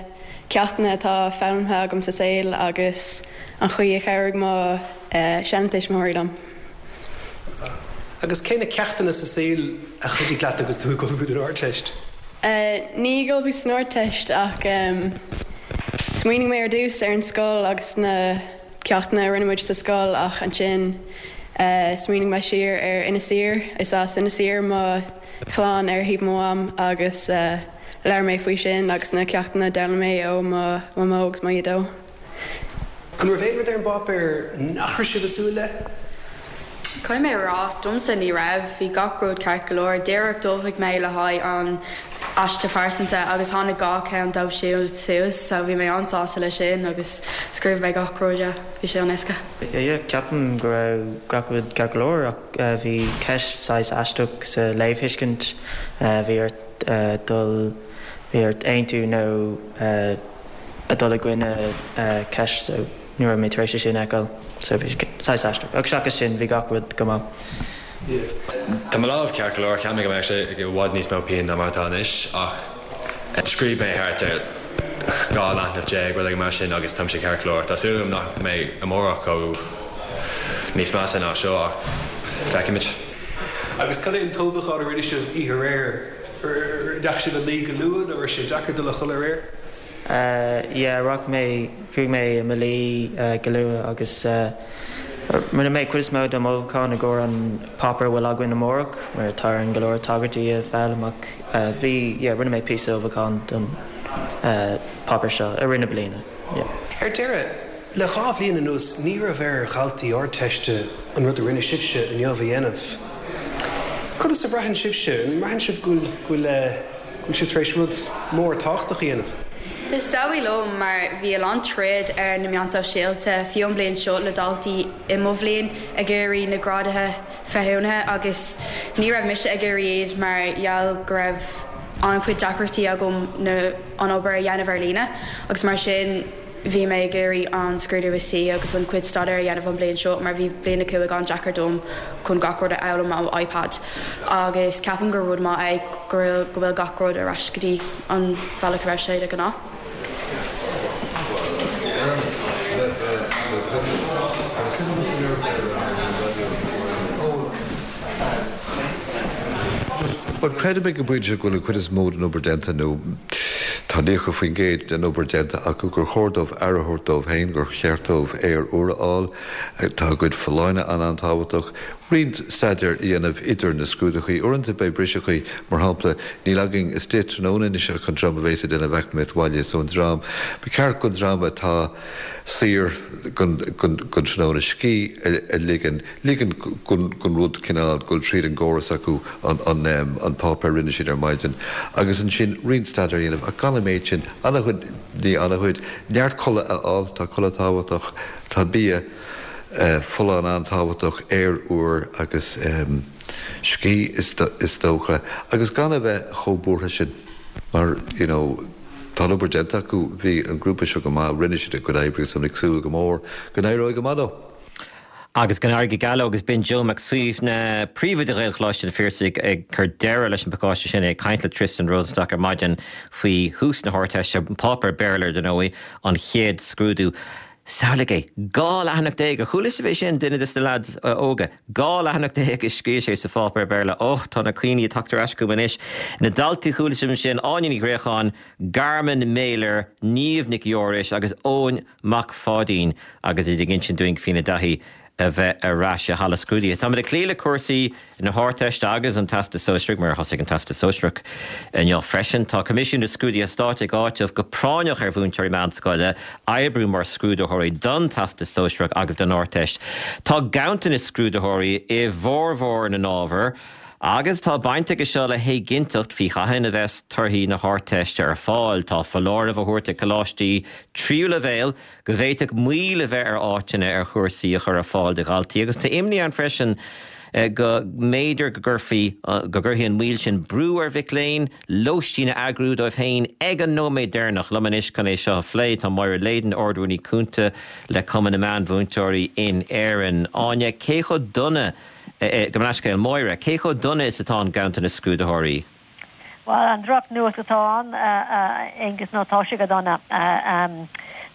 S8: ceachtanna atá foghlamtha agam sa saol agus an chaoi a chabhraigh mo sheantuismitheoirí liom.
S10: Agus cé na ceachtanna sa saol a chuidigh leat agus tú ag ullmhú don Ardteist?
S8: Ní ag ullmhú san Ardteist ach smaoinigh mé ar dtús ar an scoil agus na ceachtanna a rinne muid sa scoil ach ansin smaoinigh mé siar ar Inis Oírr. Is as Inis Oírr mo chlann ar thaobh mo mham agus labhair mé faoi sin agus na ceachtanna a d'fhoghlaim mé ó mo mhamó agus mo dhaideo.
S10: An raibh aon rud ar an bpáipéar nach raibh sibh ag súil le?
S8: Caithfidh mé a rá, domsa ní raibh, bhí gach rud ceart go leor. Díreach d'ullmhaigh mé le haghaidh an aiste phearsanta agus tháinig gach ceann dóibh siúd suas so bhí mé an-sásta leis sin agus scríobh mé gach rud, yeah, bhí sé an-éasca.
S9: Yeah, ceapaim go raibh gach rud ceart go leor ach bhí ceist saghas aisteach sa léamhthuiscint, bhí ort dul, bhí ort aontú nó a dul i gcoinne ceist so ní raibh mé tar éis é sin a fheiceáil so bhí sé saghas aisteach ach seachas sin bhí gach rud go maith.
S7: Tá mo lámh ceart go leor, cheap mé go mbeadh sé i bhfad níos mó pian ná mar atá anois ach scríobh mé thart ar 12 leathanach, rud éigin mar sin agus táimse ceart go leor. Tá súil agam nach mbeidh amárach chomh níos measa ná seo ach feicfimid.
S10: Agus cad é an t-ullmhúchán a rinne sibh oíche aréir? Ndeachaigh sibh a luí go luath nó raibh sé deacair dul a chodladh aréir?
S9: Yeah, rachaidh mé, chuaigh mé i mo luí go luath agus rinne mé cuid is mó de m'ullmhúchán i gcomhair an páipéar a bhfuil againn amárach mar tá orainn go leor tagairtí a foghlaim ach bhí, yeah, rinne mé píosa ullmhúcháin don páipéar seo i rith na bliana, yeah.
S10: Ar deireadh, Le dha bhliain anuas ní raibh ar dhaltaí Ardteiste an rud a rinne sibhse inniu a dhéanamh. Conas a bhraitheann sibhse? An mbraitheann sibh go bhfuil go bhfuil sibh tar éis rud mór tábhachtach a dhéanamh?
S8: Is dóigh liom, mar bhí a lán troid ar na meáin sóisialta, fiú an bliain seo le daltaí i mo bhliain ag iarraidh na grádaithe féichiúnaithe agus ní raibh mise ag iarraidh iad mar gheall go raibh an-chuid deacrachtaí agam na an obair a dhéanamh ar líne agus mar sin Bhí mé ag iarraidh an scrúdú a suí agus an cuid staidéir a dhéanamh an bliain seo mar bhí bliain 5 an-deacair dom chun gach rud a fhoghlaim ó iPad agus ceapaim gur rud maith é go bhfuil gach rud ar ais go dtí an bhealach a raibh sé de ghnáth.
S6: Bhuel, creidim ag an bpointe seo go bhfuil an chuid is mó den obair déanta, nó tá 90% den obair déanta acu, gur chóir dóibh aire a thabhairt dóibh féin, gur cheart dóibh aer úr a fháil. Tá a gcuid folláine an-an-tábhachtach. Roinnt staidéir a dhéanamh idir na scrúduithe. Uaireanta beidh briseachaí, mar shampla, níl againn istigh tráthnóna anois ach an dream a bhéas ag déanamh eacnamaíocht bhaile so an dream, ba cheart don dream atá saor don tráthnóna scíth a ligean, ligean don rud cineál dul tríd an gcóras acu an páipéar a rinne siad ar maidin agus ansin roinnt staidéir a dhéanamh ach gan an méid sin, an-chuid, ní an-chuid, neart codladh a fháil, tá codladh tábhachtach, tá bia. folláin an-tábhachtach, aer úr agus scíth is dócha, agus gan a bheith chomh buartha sin mar you know tá an obair déanta acu, bhí an grúpa seo go maith, rinne siad a gcuid oibre agus táim ag súil go mór go n-éireoidh go maith leo.
S1: Agus go n-éirí go geal leo agus b'in Joe Mac Suibhne, Príomhoide Ghaelcholáiste an Phiarsaigh ag cur deireadh leis an bpacáiste sin, é ag caint le Tristan Rosenstock ar maidin faoi thús na hArdteiste, páipéar Béarla ar ndóigh, an chéad scrúdú. Samhlaigh é! 12 leathanach! Ar chuala sibh é sin, duine de na leaids óga? 12 leathanach a scríobh sé sa pháipéar Béarla. Och, tá na cuimhní ag teacht ar ais chugam anois. Na daltaí a chuala sibh ansin, Áine Ní Ghréacháin, Garman Meyler, Niamh Nic Fheorais agus Eoin Mac Pháidín agus iad ag insint dúinn faoina dtaithí a bheith ar ais i halla scrúdaithe. Táimid ag cloí le cúrsaí na hArdteiste agus an Teastas Sóisearaigh, mar thosaigh an Teastas Sóisearach inniu freisin. Tá Coimisiún na Scrúduithe Stáit ag áiteamh go práinneach ar mhúinteoirí meánscoile oibriú mar scrúdaitheoirí don Teastas Sóisearach agus don Ardteist. Tá ganntanas scrúdaitheoirí i bhformhór na n-ábhar agus tá baint aige seo le héiginnteacht faoi cathain a bheas torthaí na hArdteiste ar fáil. Tá foláireamh á thabhairt ag coláistí tríú leibhéal go bhféadfadh moill a bheith ar áiteanna ar chúrsaí a chur ar fáil do dhaltaí agus tá imní ann freisin go mb'fhéidir go gcuirfí, go gcuirfidh an mhoill sin brú ar mhic léinn lóistín a eagrú dóibh féin ag an nóiméad deireanach. Liom anois chun é seo a phlé tá Máire Leyden, Ard-Rúnaí Cúnta le Cumann na Meánmhúinteoirí in Éirinn. Áine, cé chomh dona, gabh mo leithscéal, Máire, cé chomh dona is atá an ganntanas scrúdaitheoirí?
S11: Bhuel, an drochnuacht atá ann, a Aonghus, ná tá sé go dona.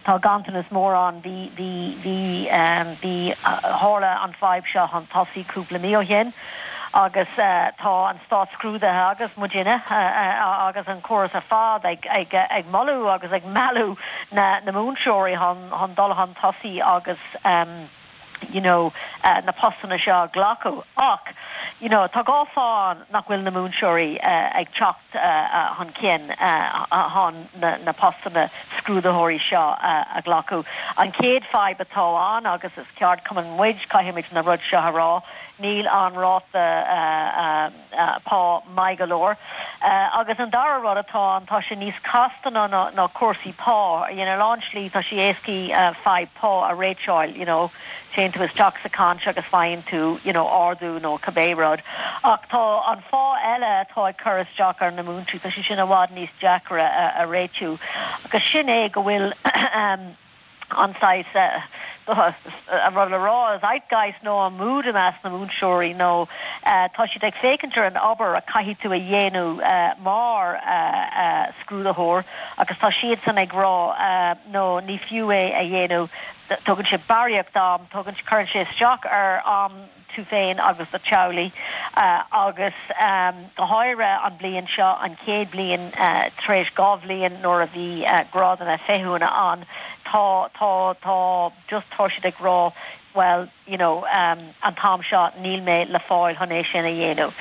S11: Tá ganntanas mór ann. Bhí, bhí, bhí, bhí, tharla an fadhb seo chun tosaigh cúpla mí ó shin agus tá an Stát Scrúduithe agus muidinne agus an córas ar fad ag, ag, ag moladh agus ag mealladh na, na múinteoirí chun, chun dul chun tosaigh agus, you know na postanna seo a ghlacadh ach you know tá dhá fáth ann nach bhfuil na múinteoirí ag teacht chun cinn chun na postanna scrúdaitheoirí seo a ghlacadh. An chéad fadhb atá ann agus is ceardchumann muid, caithfimid na rud seo a rá, níl an ráta pá maith go leor. Agus an dara rud atá ann, tá sé níos casta ná ná cúrsaí pá. You know, ar lán slí tá sé éascaí fadhb pá a réiteáil, you know, téann tú isteach sa chaint agus faigheann tú, you know, ardú nó cibé rud. Ach tá an fáth eile atá ag cur isteach ar na múinteoirí, tá sé sin i bhfad níos deacra a réitiú. Agus sin é go bhfuil an saghas, an rud le rá, zeitgeist nó an mood i measc na múinteoirí nó tá siad ag féachaint ar an obair a caithfidh tú a dhéanamh mar scrúdaitheoir agus tá siadsan ag rá no ní fiú é a dhéanamh, tógann sé barraíocht am, tógann, cuireann sé isteach ar am tú féin agus do theaghlaigh agus go háirithe an bhliain seo, an chéad bhliain tar éis 2 bhliain nuair a bhí grádanna féichiúna ann, tá, tá, tá, just tá siad ag rá well, you know, an t-am seo níl mé le fáil chun é sin a dhéanamh.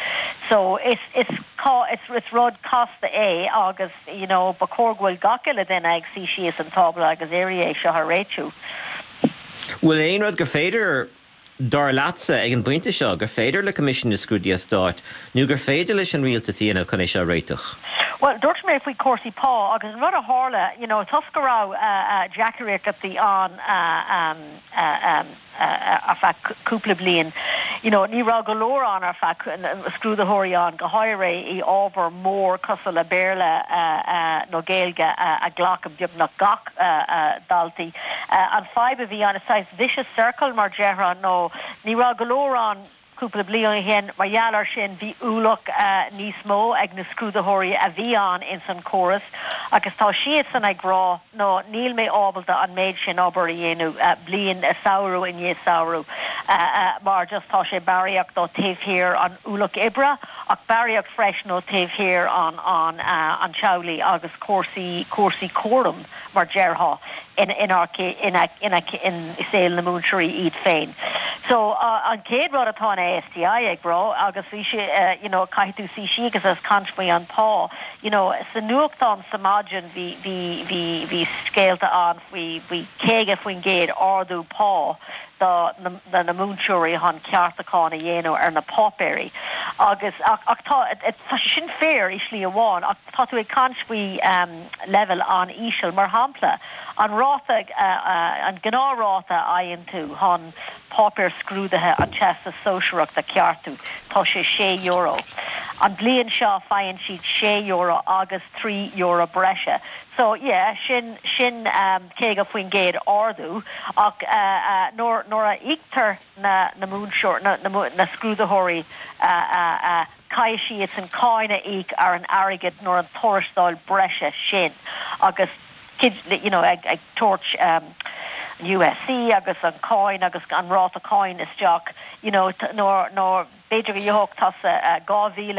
S11: So is, is, is, is rud casta é agus, you know, ba chóir go bhfuil gach uile duine ag suí síos an tábla agus iarraidh é seo a réitiú.
S1: Bhfuil aon rud gur féidir Dar leatsa, ag an bpointe seo, gur féidir le Coimisiún na Scrúduithe Stáit nó gur féidir leis an rialtas a dhéanamh chun é seo a réiteach?
S11: Bhuel, dúirt mé faoi chúrsaí pá agus an rud a tharla, you know, toisc go raibh deacrachtaí ann ar feadh cúpla bliain, you know, ní raibh go leor ann ar feadh, scrúdaitheoirí ann, go háirithe i ábhar mór cosúil le Béarla nó Gaeilge a ghlacann beagnach gach daltaí. An fadhb a bhí ann, is saghas vicious circle mar déarfá, nó ní raibh go leor ann cúpla bliain ó shin, mar gheall air sin bhí ualach níos mó ag na scrúdaitheoirí a bhí ann ins an chóras agus tá siadsan ag rá no níl mé ábalta an méid sin obair a dhéanamh bliain, samhradh i ndiaidh samhradh mar just tá sé barraíocht ó taobh thiar an ualach oibre ach barraíocht freisin ó taobh thiar an an an teaghlaigh agus cúrsaí cúrsaí cúraim. mar déarfá, in i saol na múinteoirí iad féin. So an chéad rud atá an ASTI ag rá agus bhí sé you know caithfidh tú suí síos agus caint faoi an pá you know sa nuachtán sa maidin bhí bhí bhí bhí scéalta ann faoi faoi 50% ardú pá do na na múinteoirí chun ceartúchán a dhéanamh ar na páipéirí agus ach ach tá tá sé sin fíor i slí amháin ach tá tú ag caint faoi leibhéal an-íseal. Mar shampla, an ráta, an gnáthráta a fhaigheann tú chun páipéar scrúdaithe an Teastas Sóisearach a cheartú, tá sé €6. An bhliain seo faigheann siad €6 agus €3 breise. So, yeah, sin, sin 50% ardú ach nuair, nuair a íoctar na, na múinteoir, na, na, na scrúdaitheoirí, Caithfidh siadsan cáin a íoc ar an airgead nó an tuarastal breise sin agus you know ag ag tabhairt an USC agus an cáin agus an ráta cáin isteach you know nuair nuair b'fhéidir go gheobhadh tusa 2,000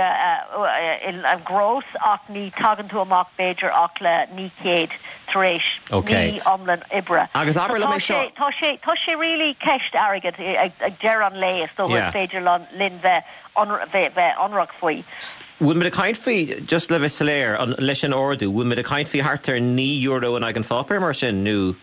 S11: in gross ach ní tagann tú amach b'fhéidir ach le 900 tar éis mí iomlán oibre.
S1: Agus abair liom
S11: é seo. Tá sé tá sé really ceist airgid ag deireadh an lae is dócha is féidir linn bheith bheith ionraic faoi.
S1: Bhfuil muid ag caint faoi, just le bheith soiléir, an, leis an ardú, bhfuil muid ag caint faoi thart ar €9 in aghaidh an pháipéir mar sin, nó?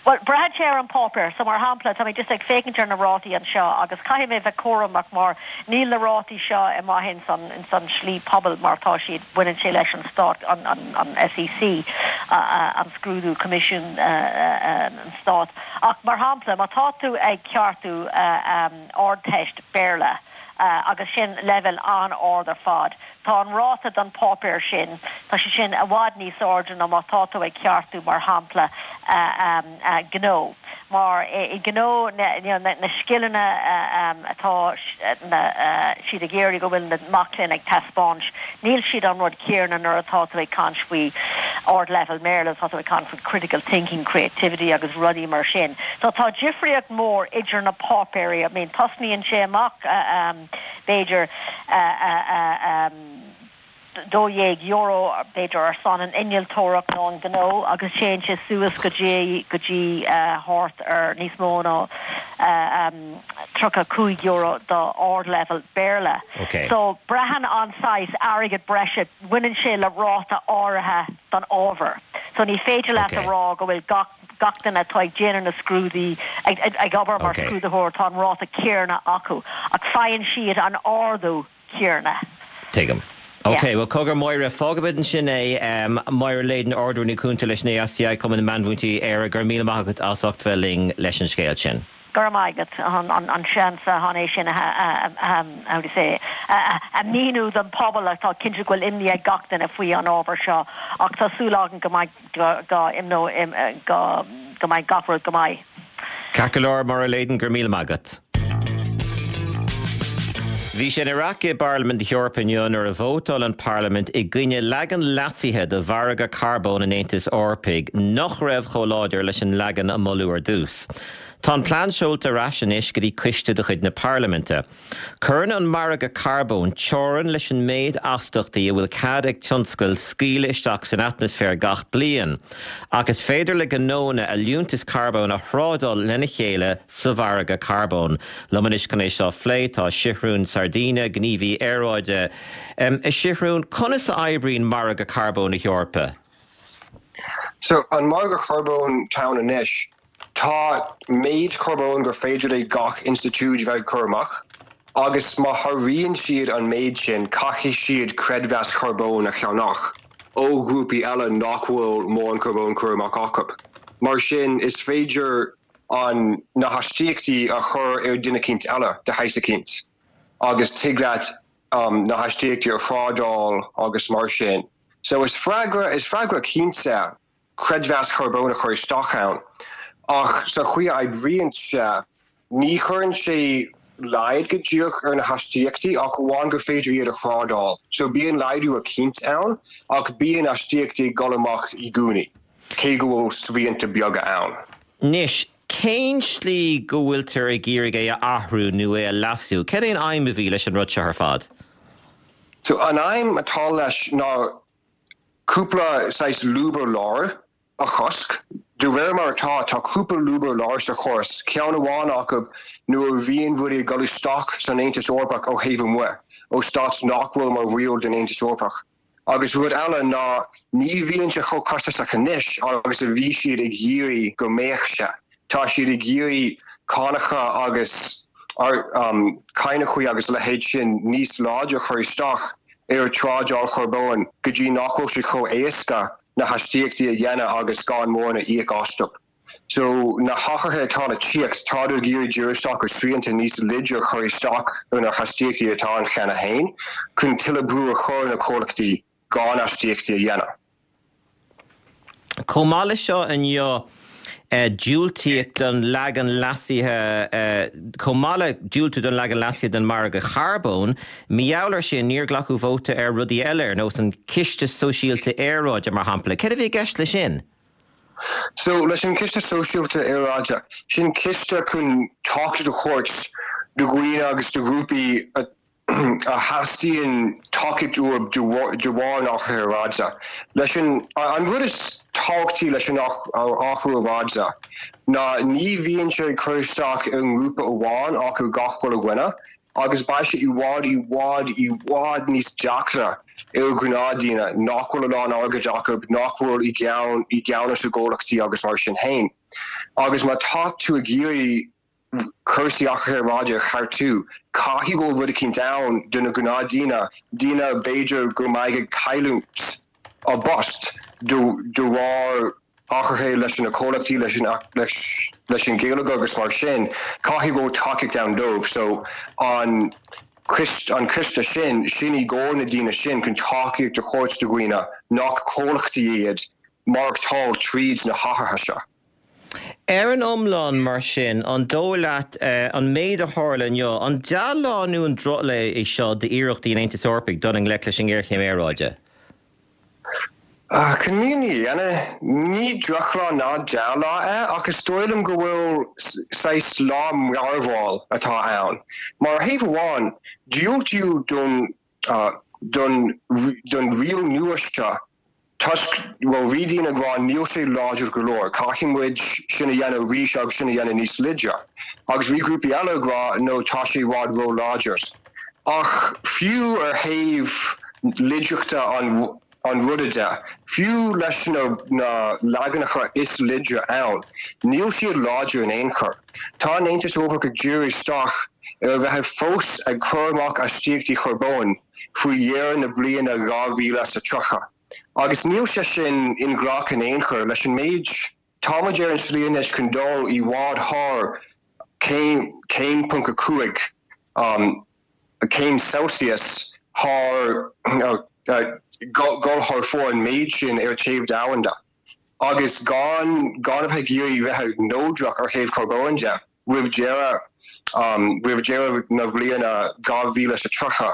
S11: Bhuel, braitheann sé ar an páipéar. So, mar shampla, tá mé just ag féachaint ar na rátaí anseo agus caithfidh mé bheith cúramach mar níl na rátaí seo amuigh ins an, ins an slí pobail mar tá siad, baineann sé leis an stát, an, an, an SEC, an scrúdú, Coimisiún an Stáit. Ach mar shampla, má tá tú ag ceartú Ardteist Béarla agus sin leibhéal an-ard ar fad. Tá an ráta don pháipéar sin, tá sé sin i bhfad níos airde ná má tá tú ag ceartú mar shampla gnó. Mar i gnó na scileanna atá siad ag iarraidh go bhfuil na mac léinn ag taispeáint, níl siad an rud céanna nuair atá tú ag caint faoi ardleibhéal Béarla, tá tú ag caint faoi critical thinking, creativity agus rudaí mar sin. So tá difríocht mór idir na páipéirí, I mean tosnaíonn sé amach b'fhéidir €12 b'fhéidir ar son an innealtóireacht nó an gnó agus téann sé suas go dtí go dtí thart ar níos mó ná €35 do ardleibhéal Béarla. So braitheann an saghas airgead breise, baineann sé le ráta áirithe don ábhar. So ní féidir leat a rá go bhfuil gach gach duine atá ag déanamh na scrúdaí ag ag obair mar scrúdaitheoir tá an ráta céanna acu ach faigheann siad an ardú céanna.
S1: Tuigim. Ok, bhuel cogar Máire, fágfaimid ansin é. Máire Leyden, Ard-Rúnaí Cúnta leis an ASTI, Cumann na Meánmhúinteoirí Éire, go raibh míle maith agat as ucht bheith linn leis an scéal sin.
S11: Go raibh maith agat an seans chun é sin a how do you say a mhíniú don pobal tá cinnte go bhfuil imní ag gach duine faoi an ábhar seo ach tá súil agam go mbeidh go go go mbeidh gach rud go maith.
S1: Ceart go leor, Máire Leyden, go raibh míle maith agat. Bhí sé ina raic i bParlaimint na hEorpa inniu nuair a vótáil an Parlaimint i gcoinne leagan leasaithe de mhargadh carbóin an Aontais Eorpaigh nach raibh chomh láidir leis an leagan a moladh ar dtús. Tá an plean seolta ar ais anois go dtí coiste de chuid na Parlaiminte. Cuireann an margadh carbóin teorainn leis an méid astachtaí a bhfuil cead ag tionscail scaoileadh isteach san atmaisféar gach bliain, ach is féidir le gnónna a liúntais carbóin a thrádáil lena chéile sa mhargadh carbóin. Liom anois chun é seo a phlé tá Sigrún Sardinha, gníomhaí aeráide. A Shigrún, conas a oibríonn margadh carbóin na hEorpa?
S12: So, an margadh carbóin atá ann anois, Tá méid carbóin gur féidir le gach institiúid bheith ag cur amach, agus má sháraíonn siad an méid sin, caithfidh siad creidmheas carbóin a cheannach ó ghrúpaí eile nach bhfuil mórán carbóin curtha amach acu. Mar sin, is féidir an na haistíochtaí a chur ar duine eicínt eile de shaghas eicínt, agus tig leat na haistíochtaí a thrádáil agus mar sin. So is freagra, is freagra cinnte creidmheas carbóin a chur isteach ann, ach sa chaoi a oibríonn sé, ní chuireann sé laghad go díreach ar na haistíochtaí ach amháin gur féidir iad a thrádáil. So bíonn laghdú eicínt ann, ach bíonn aistíochtaí ag dul amach i gcónaí, cé go bhfuil srianta beaga ann.
S1: Anois, cén tslí go bhfuiltear ag iarraidh é a athrú nó é a leasú? Cad é an aidhm a bhí leis an rud seo ar fad?
S12: So an aidhm atá leis ná cúpla saghas lúb a lár. a chosc. De réir mar atá, tá cúpla lúb ar lár sa chóras, ceann amháin acu nuair a bhíonn rudaí ag dul isteach san Aontas Eorpach ó thaobh amuigh, ó stáit nach bhfuil mar bhaill den Aontas Eorpach. Agus rud eile ná ní bhíonn sé chomh costasach anois agus a bhí siad ag iarraidh go mbeadh sé. Tá siad ag iarraidh cánacha agus cáinachaí agus a leithéid sin níos láidre a chur isteach ar trádáil charbóin go dtí nach bhfuil sé chomh éasca na hastaíochtaí a dhéanamh agus gan mórán a íoc astu. So, na hathruithe atá le tíocht, tádar ag iarraidh díriú isteach ar srianta níos laidre a chur isteach ar na hastaíochtaí atá ann cheana féin, chun tuilleadh brú a chur ar na comhlachtaí gan astaíochtaí a dhéanamh.
S1: Chomh maith leis seo inniu, diúltaíodh don leagan leasaithe, chomh maith le diúltú don leagan leasaithe den mhargadh charbóin, mar gheall air sin, níor glacadh vóta ar rudaí eile, ar nós an Ciste Sóisialta Aeráide, mar shampla. Céard a bhí i gceist leis sin?
S12: So, leis an Chiste Sóisialta Aeráide, sin ciste chun tacaíocht a thabhairt do dhaoine agus do ghrúpaí a theastaíonn tacaíocht uathu de bharr an athraithe aeráide. Leis an, an rud is tábhachtaí leis an athrú aeráide ná ní bhíonn sé ag cur isteach ar an ngrúpa amháin ach ar gach uile dhuine agus beidh sé i bhfad, i bhfad, i bhfad níos deacra ar ghnáthdhaoine nach bhfuil a lán airgid acu, nach bhfuil i gceann, i gceannas i gcomhlachtaí agus mar sin féin. Agus má tá tú ag iarraidh cúrsaí athraithe aeráide a cheartú, caithfidh go bhfuil rud eicínt ann do na gnáthdhaoine, daoine b'fhéidir go mbeidh ag cailliúint a bpost de bharr athruithe leis na comhlachtaí, leis an leis an gheilleagar agus mar sin, caithfidh go bhfuil tacaíocht ann dóibh. So an an ciste sin, sin i gcomhair na daoine sin chun tacaíocht a thabhairt do dhaoine nach comhlachtaí iad maireachtáil tríd na hathruithe seo.
S1: Ar an iomlán, mar sin, an dóigh leat an méid a tharla inniu, an dea-lá nó an drochlá é seo d'iarrachtaí an Aontais Eorpaigh dul i ngleic leis an ngéarchéim aeráide?
S12: Chun an fhírinne a dhéanamh, ní drochlá ná dea-lá é, ach is dóigh liom go bhfuil saghas lá mearbhaill atá ann. Mar ar thaobh amháin, diúltaíodh don don don riail nua seo toisc, bhuel, bhí daoine ag rá níl sé láidir go leor, caithfidh muid sin a dhéanamh arís agus sin a dhéanamh níos laidre. Agus bhí grúpaí eile ag rá no, tá sé i bhfad ró-láidir. Ach fiú ar thaobh laidreachta an an ruda de, fiú leis na na leaganacha is laidre ann, níl siad láidir in aon chor. Tá an Aontas Eorpach ag díriú isteach ar a bheith fós ag cur amach astaíochtaí charbóin faoi dheireadh na bliana 2030. Agus níl sé sin inghlactha in aon chor leis an méid Tá muid ar an slí anois chun dul i bhfad thar céim, céim ponc 5 céim Celsius thar, dul thar fóir an méid sin ar téamh domhanda agus gan gan a bheith ag iarraidh bheith neodrach ar thaobh carbóin de. roimh deireadh roimh deireadh na bliana 2030,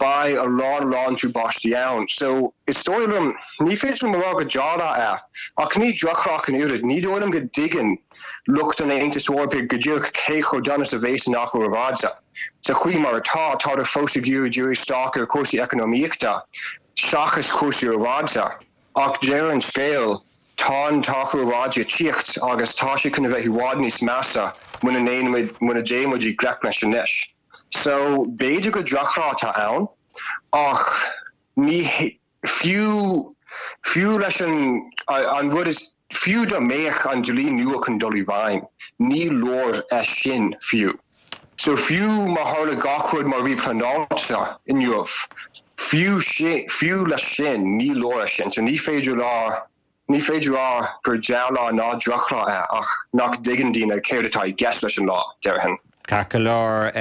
S12: beidh a lán a lán tubaistí ann. So, is dóigh liom, ní féidir liom a rá go dea-lá é, ach ní drochlá ach an oiread. Ní dóigh liom go dtuigeann lucht an Aontais Eorpaigh go díreach cé chomh dona is a bheas an athrú aeráide. Sa chaoi mar atá, tádar fós ag iarraidh díriú isteach ar chúrsaí eacnamaíochta seachas cúrsaí aeráide. Ach deireadh an scéil, Tá an t-athrú aeráide ag tíocht agus tá sé chun a bheith i bhfad níos measa muna ndéanaimid, muna dtéann muid i ngleic leis anois. So, b'fhéidir gur drochlá atá ann ach ní, fiú, fiú leis an, an rud is, fiú dá mbeadh an dlí nua chun dul i bhfeidhm, ní leor é sin fiú. So fiú má tharla gach rud mar a bhí pleanáilte inniu, fiú sin, fiú leis sin, ní leor é sin. So ní féidir rá, ní féidir rá gur dea-lá ná drochlá é ach nach dtuigeann daoine céard atá i gceist leis an lá, déarfainn.
S1: Ceart go leor,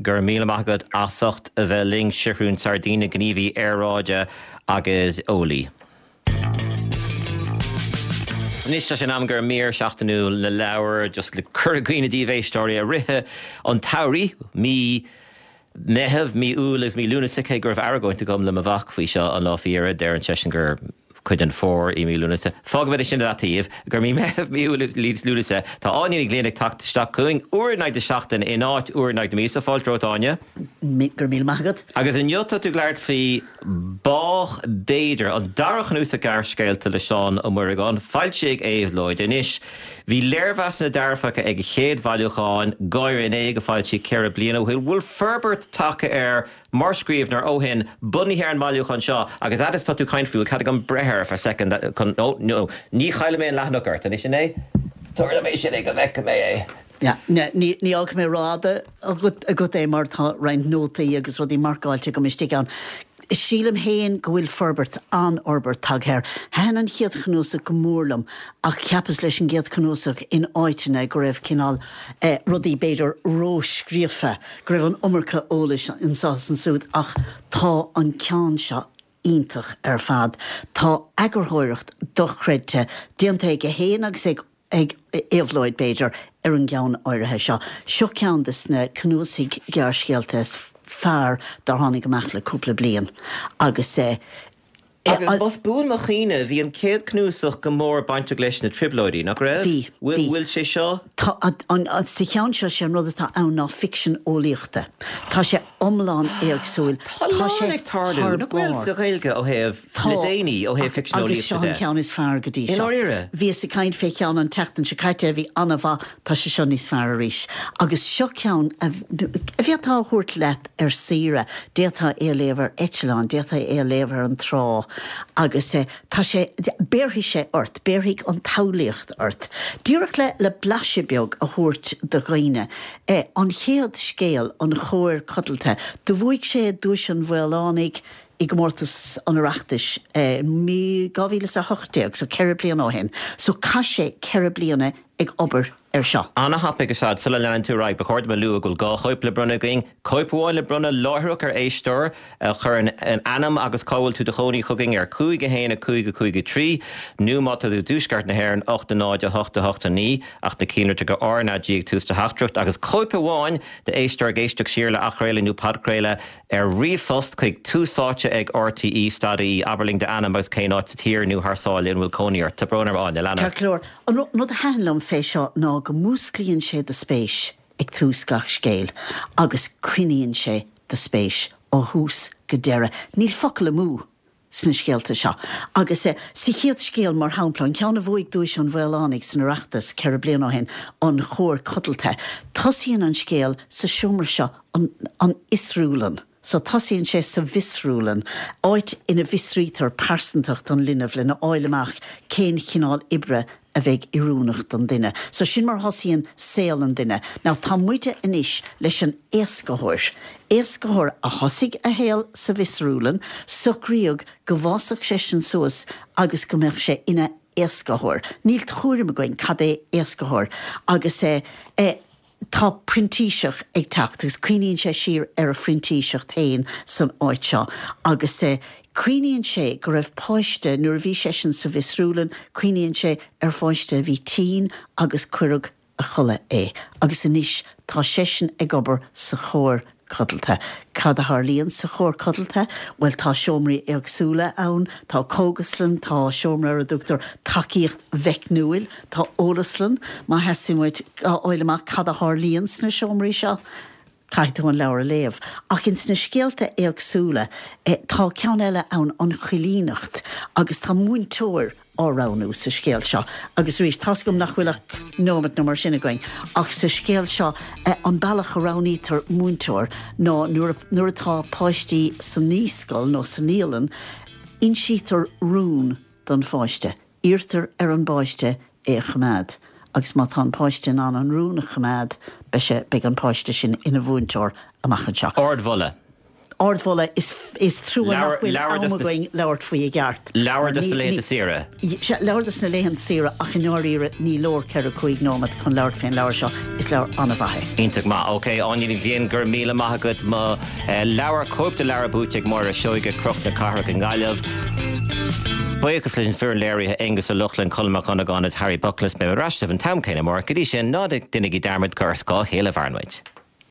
S1: go raibh míle maith agat as ucht a bheith linn, Seathrún Sardina, gníomhaí aeráide agus eolaí. Anois tá sé in am do mhír seachtainiúil na leabhar, just le cur i gcuimhne daoibh a éisteoirí, i rith an tsamhraidh, mí Meitheamh, mí Iúil agus mí Lúnasa, cé go raibh argóint agam le mo mhac faoi seo an lá faoi dheireadh, deireann seisean gur. Cuid den fómhar i mí Lúnasa. Fágfaimid é sin i leataobh gur mí Meitheamh, mí Iúil, Lúnasa. Tá Áine Ní Ghlinn ag teacht isteach chugainn uair in aghaidh na seachtaine in áit uair in aghaidh na míosa. Fáilte romhat, Áine.
S13: Go raibh míle maith agat.
S1: Agus inniu tá tú ag labhairt faoi Bádh B'fhéidir, an dara cnuasach gearrscéalta le Seán Ó Muireagáin, foilsithe ag Éabhlóid. Anois, bhí léirmheasanna dearfacha ag a chéad bhailiúchán, Gáire in Éag, a foilsíodh 4 bliana ó shin. Bhfuil forbairt tagtha air mar scríbhneoir ó shin, bunaithe ar an mbailiúchán seo, agus fhad is atá tú ag caint faoi, bhfuil cead agam breith air for second chun, no, no, ní chaillfidh mé an leathanach ort, anois sin é? Tabhair dom é sin é go bhfeicfidh mé é.
S13: Yeah, ní fhágfaidh mé rófhada agat é mar tá roinnt nótaí agus rudaí marcáilte agam istigh ann. Sílim féin go bhfuil forbairt, an-fhorbairt tagtha air. Thaitin an chéad chnuasach go mór liom ach cheapas leis an gcéad chnuasach in áiteanna go raibh cineál rudaí b'fhéidir ró-scríofa, go raibh an iomarca eolais anseo is ansúd ach tá an ceann seo iontach ar fad. Tá eagarthóireacht dochreidte déanta aige féin agus ag ag Éabhlóid, b'fhéidir, ar an gceann áirithe seo. Seo ceann de na cnuasaigh gearrscéalta is fearr dár tháinig amach le cúpla bliain agus eh.
S1: Agus más buan mo chuimhne, bhí an chéad chnuasach go mór bainteach leis na Trioblóidí, nach raibh?
S13: Bhí, bhí.
S1: Bhfuil sé seo?
S13: Tá, an, sa cheann seo, sé an rud atá ann ná ficsean eolaíochta. Tá sé iomlán éagsúil.
S1: Tá a lán ag tarlú, nach bhfuil, sa Ghaeilge ó thaobh, le déanaí, ó thaobh ficsean
S13: eolaíochta de. Agus seo an ceann is fearr go dtí seo.
S1: I ndáiríre?
S13: Bhíos ag caint fé cheann an tseachtain seo caite a bhí an-mhaith, tá sé seo níos fearr arís. Agus seo ceann a bhféadfá a thabhairt leat ar saoire, d'fhéadfá é a léamh ar eitleán, d'fhéadfá é a léamh ar an trá agus tá sé, béarfaidh sé ort, béarfaidh an tsamhlaíocht ort. Díreach le, le blaiseadh beag a thabhairt do dhaoine, an chéad scéal, An Chóir Codlata, do bhuaigh sé Duais an Mhaolánaigh i gcomórtas an Oireachtais i 2018, so 4 bliana ó shin, so chaith sé 4 bliana ag obair air seo.
S1: Ana-thapaidh ar fad. Sula leanann tú ar aghaidh, ba chóir dom a lua go bhfuil 2 chóip le bronnadh againn. Cóip amháin le bronnadh láithreach ar éisteoir a chuireann ainm agus cá bhfuil tú i do chónaí chugainn ar 5 1 5 5 3 nó má tá tú i dtuaisceart na hÉireann 8 0 8 8 9 ach na cinnlitreacha RnaG ag tús do theachtaireacht agus cóip amháin d'éisteoir ag éisteacht siar le athchraoladh nó podchraoladh ar ríomhphost chuig túsáite ag rte stad ie abair linn d'ainm agus cén áit sa tír nó thar sáile ina bhfuil cónaí ort. Tá brón orm Áine, lean
S13: ort. Ceart go leor. An rud a thaitin liom fé seo ná go músclaíonn sé do spéis ag tús gach scéil agus coinníonn sé do spéis ó thús go deireadh. Níl focal amú sna scéalta seo. Agus sa chéad scéal, mar shampla, an ceann a bhuaigh Duais an Mhaolánaigh san Oireachtas 4 bliana ó shin, An Chóir Codlata, tosaíonn an scéal sa seomra seo, an fhiosrúlann. So tosaíonn sé sa bhfiosrúlann, áit ina bhfiosraítear pearsantacht an linbh lena fháil amach cén chineál oibre a bheidh oiriúnach don duine. So sin mar a thosaíonn saol an duine. Now tá muide anois leis an éascaitheoir. Éascaitheoir a thosaigh a shaol sa bhfiosrúlann, socraíodh go bhfásfadh seisean suas agus go mbeadh sé ina éascaitheoir. Níl tuairim againn cad é éascaitheoir agus eh eh Tá printíseach ag teacht agus cuimhníonn sé siar ar a phrintíseacht féin san áit seo agus cuimhníonn sé go raibh páiste, nuair a bhí seisean sa bhfiosrúlann, cuimhníonn sé ar pháiste a bhí tinn agus cuireadh a chodladh é agus anois tá seisean ag obair sa chóir codlata. Cad a tharlaíonn sa chóir codlata? Bhuel, tá seomraí éagsúla ann, tá cógaslann, tá seomra ar a dtugtar tacaíocht mheicniúil, tá eolaslann. Má theastaíonn uait a fháil amach cad a tharlaíonn sna seomraí seo, caithfidh tú an leabhar a léamh. Ach ins na scéalta éagsúla, tá ceann eile ann, an choilíneacht, agus tá múinteoir á roghnú sa scéal seo. Agus arís, tá's agam nach bhfuil ach nóimeat nó mar sin againn, ach sa scéal seo, an bealach a roghnaítear múinteoir ná nuair nuair atá páistí sa naíscoil nó sa naíolann, insítear rún don pháiste. Iarrtar ar an bpáiste é a choimeád agus má tá an páiste in ann an rún a choimeád, beidh sé, beidh an páiste sin ina mhúinteoir amach anseo.
S1: Ardmholadh.
S13: Ardmholadh, is trua nach bhfuil am againn labhairt faoi i gceart.
S1: Leabhar dos na laethanta saoire.
S13: Sea, leabhar dos na laethanta saoire ach i ndáiríre ní leor 4, 5 nóimeat chun labhairt fén leabhar seo. Is leabhar an-mhaith
S1: é. Iontach maith. Ok, Áine Ní Ghlinn, go raibh míle maith agat. Mo leabhar, cóip de leabhar buaite ag Máire Seoige, Cnoc na Cathrach i nGaillimh. Buíochas leis an foireann léirithe, Aonghus Ó Lochlainn, Colm Mac Dhonnagáin agus Harry Buckless. Beidh mé ar ais libh an t-am céanna amárach. Go dtí sin, ná déanaigí dearmad gur ar scáth a chéile a mhaireann muid.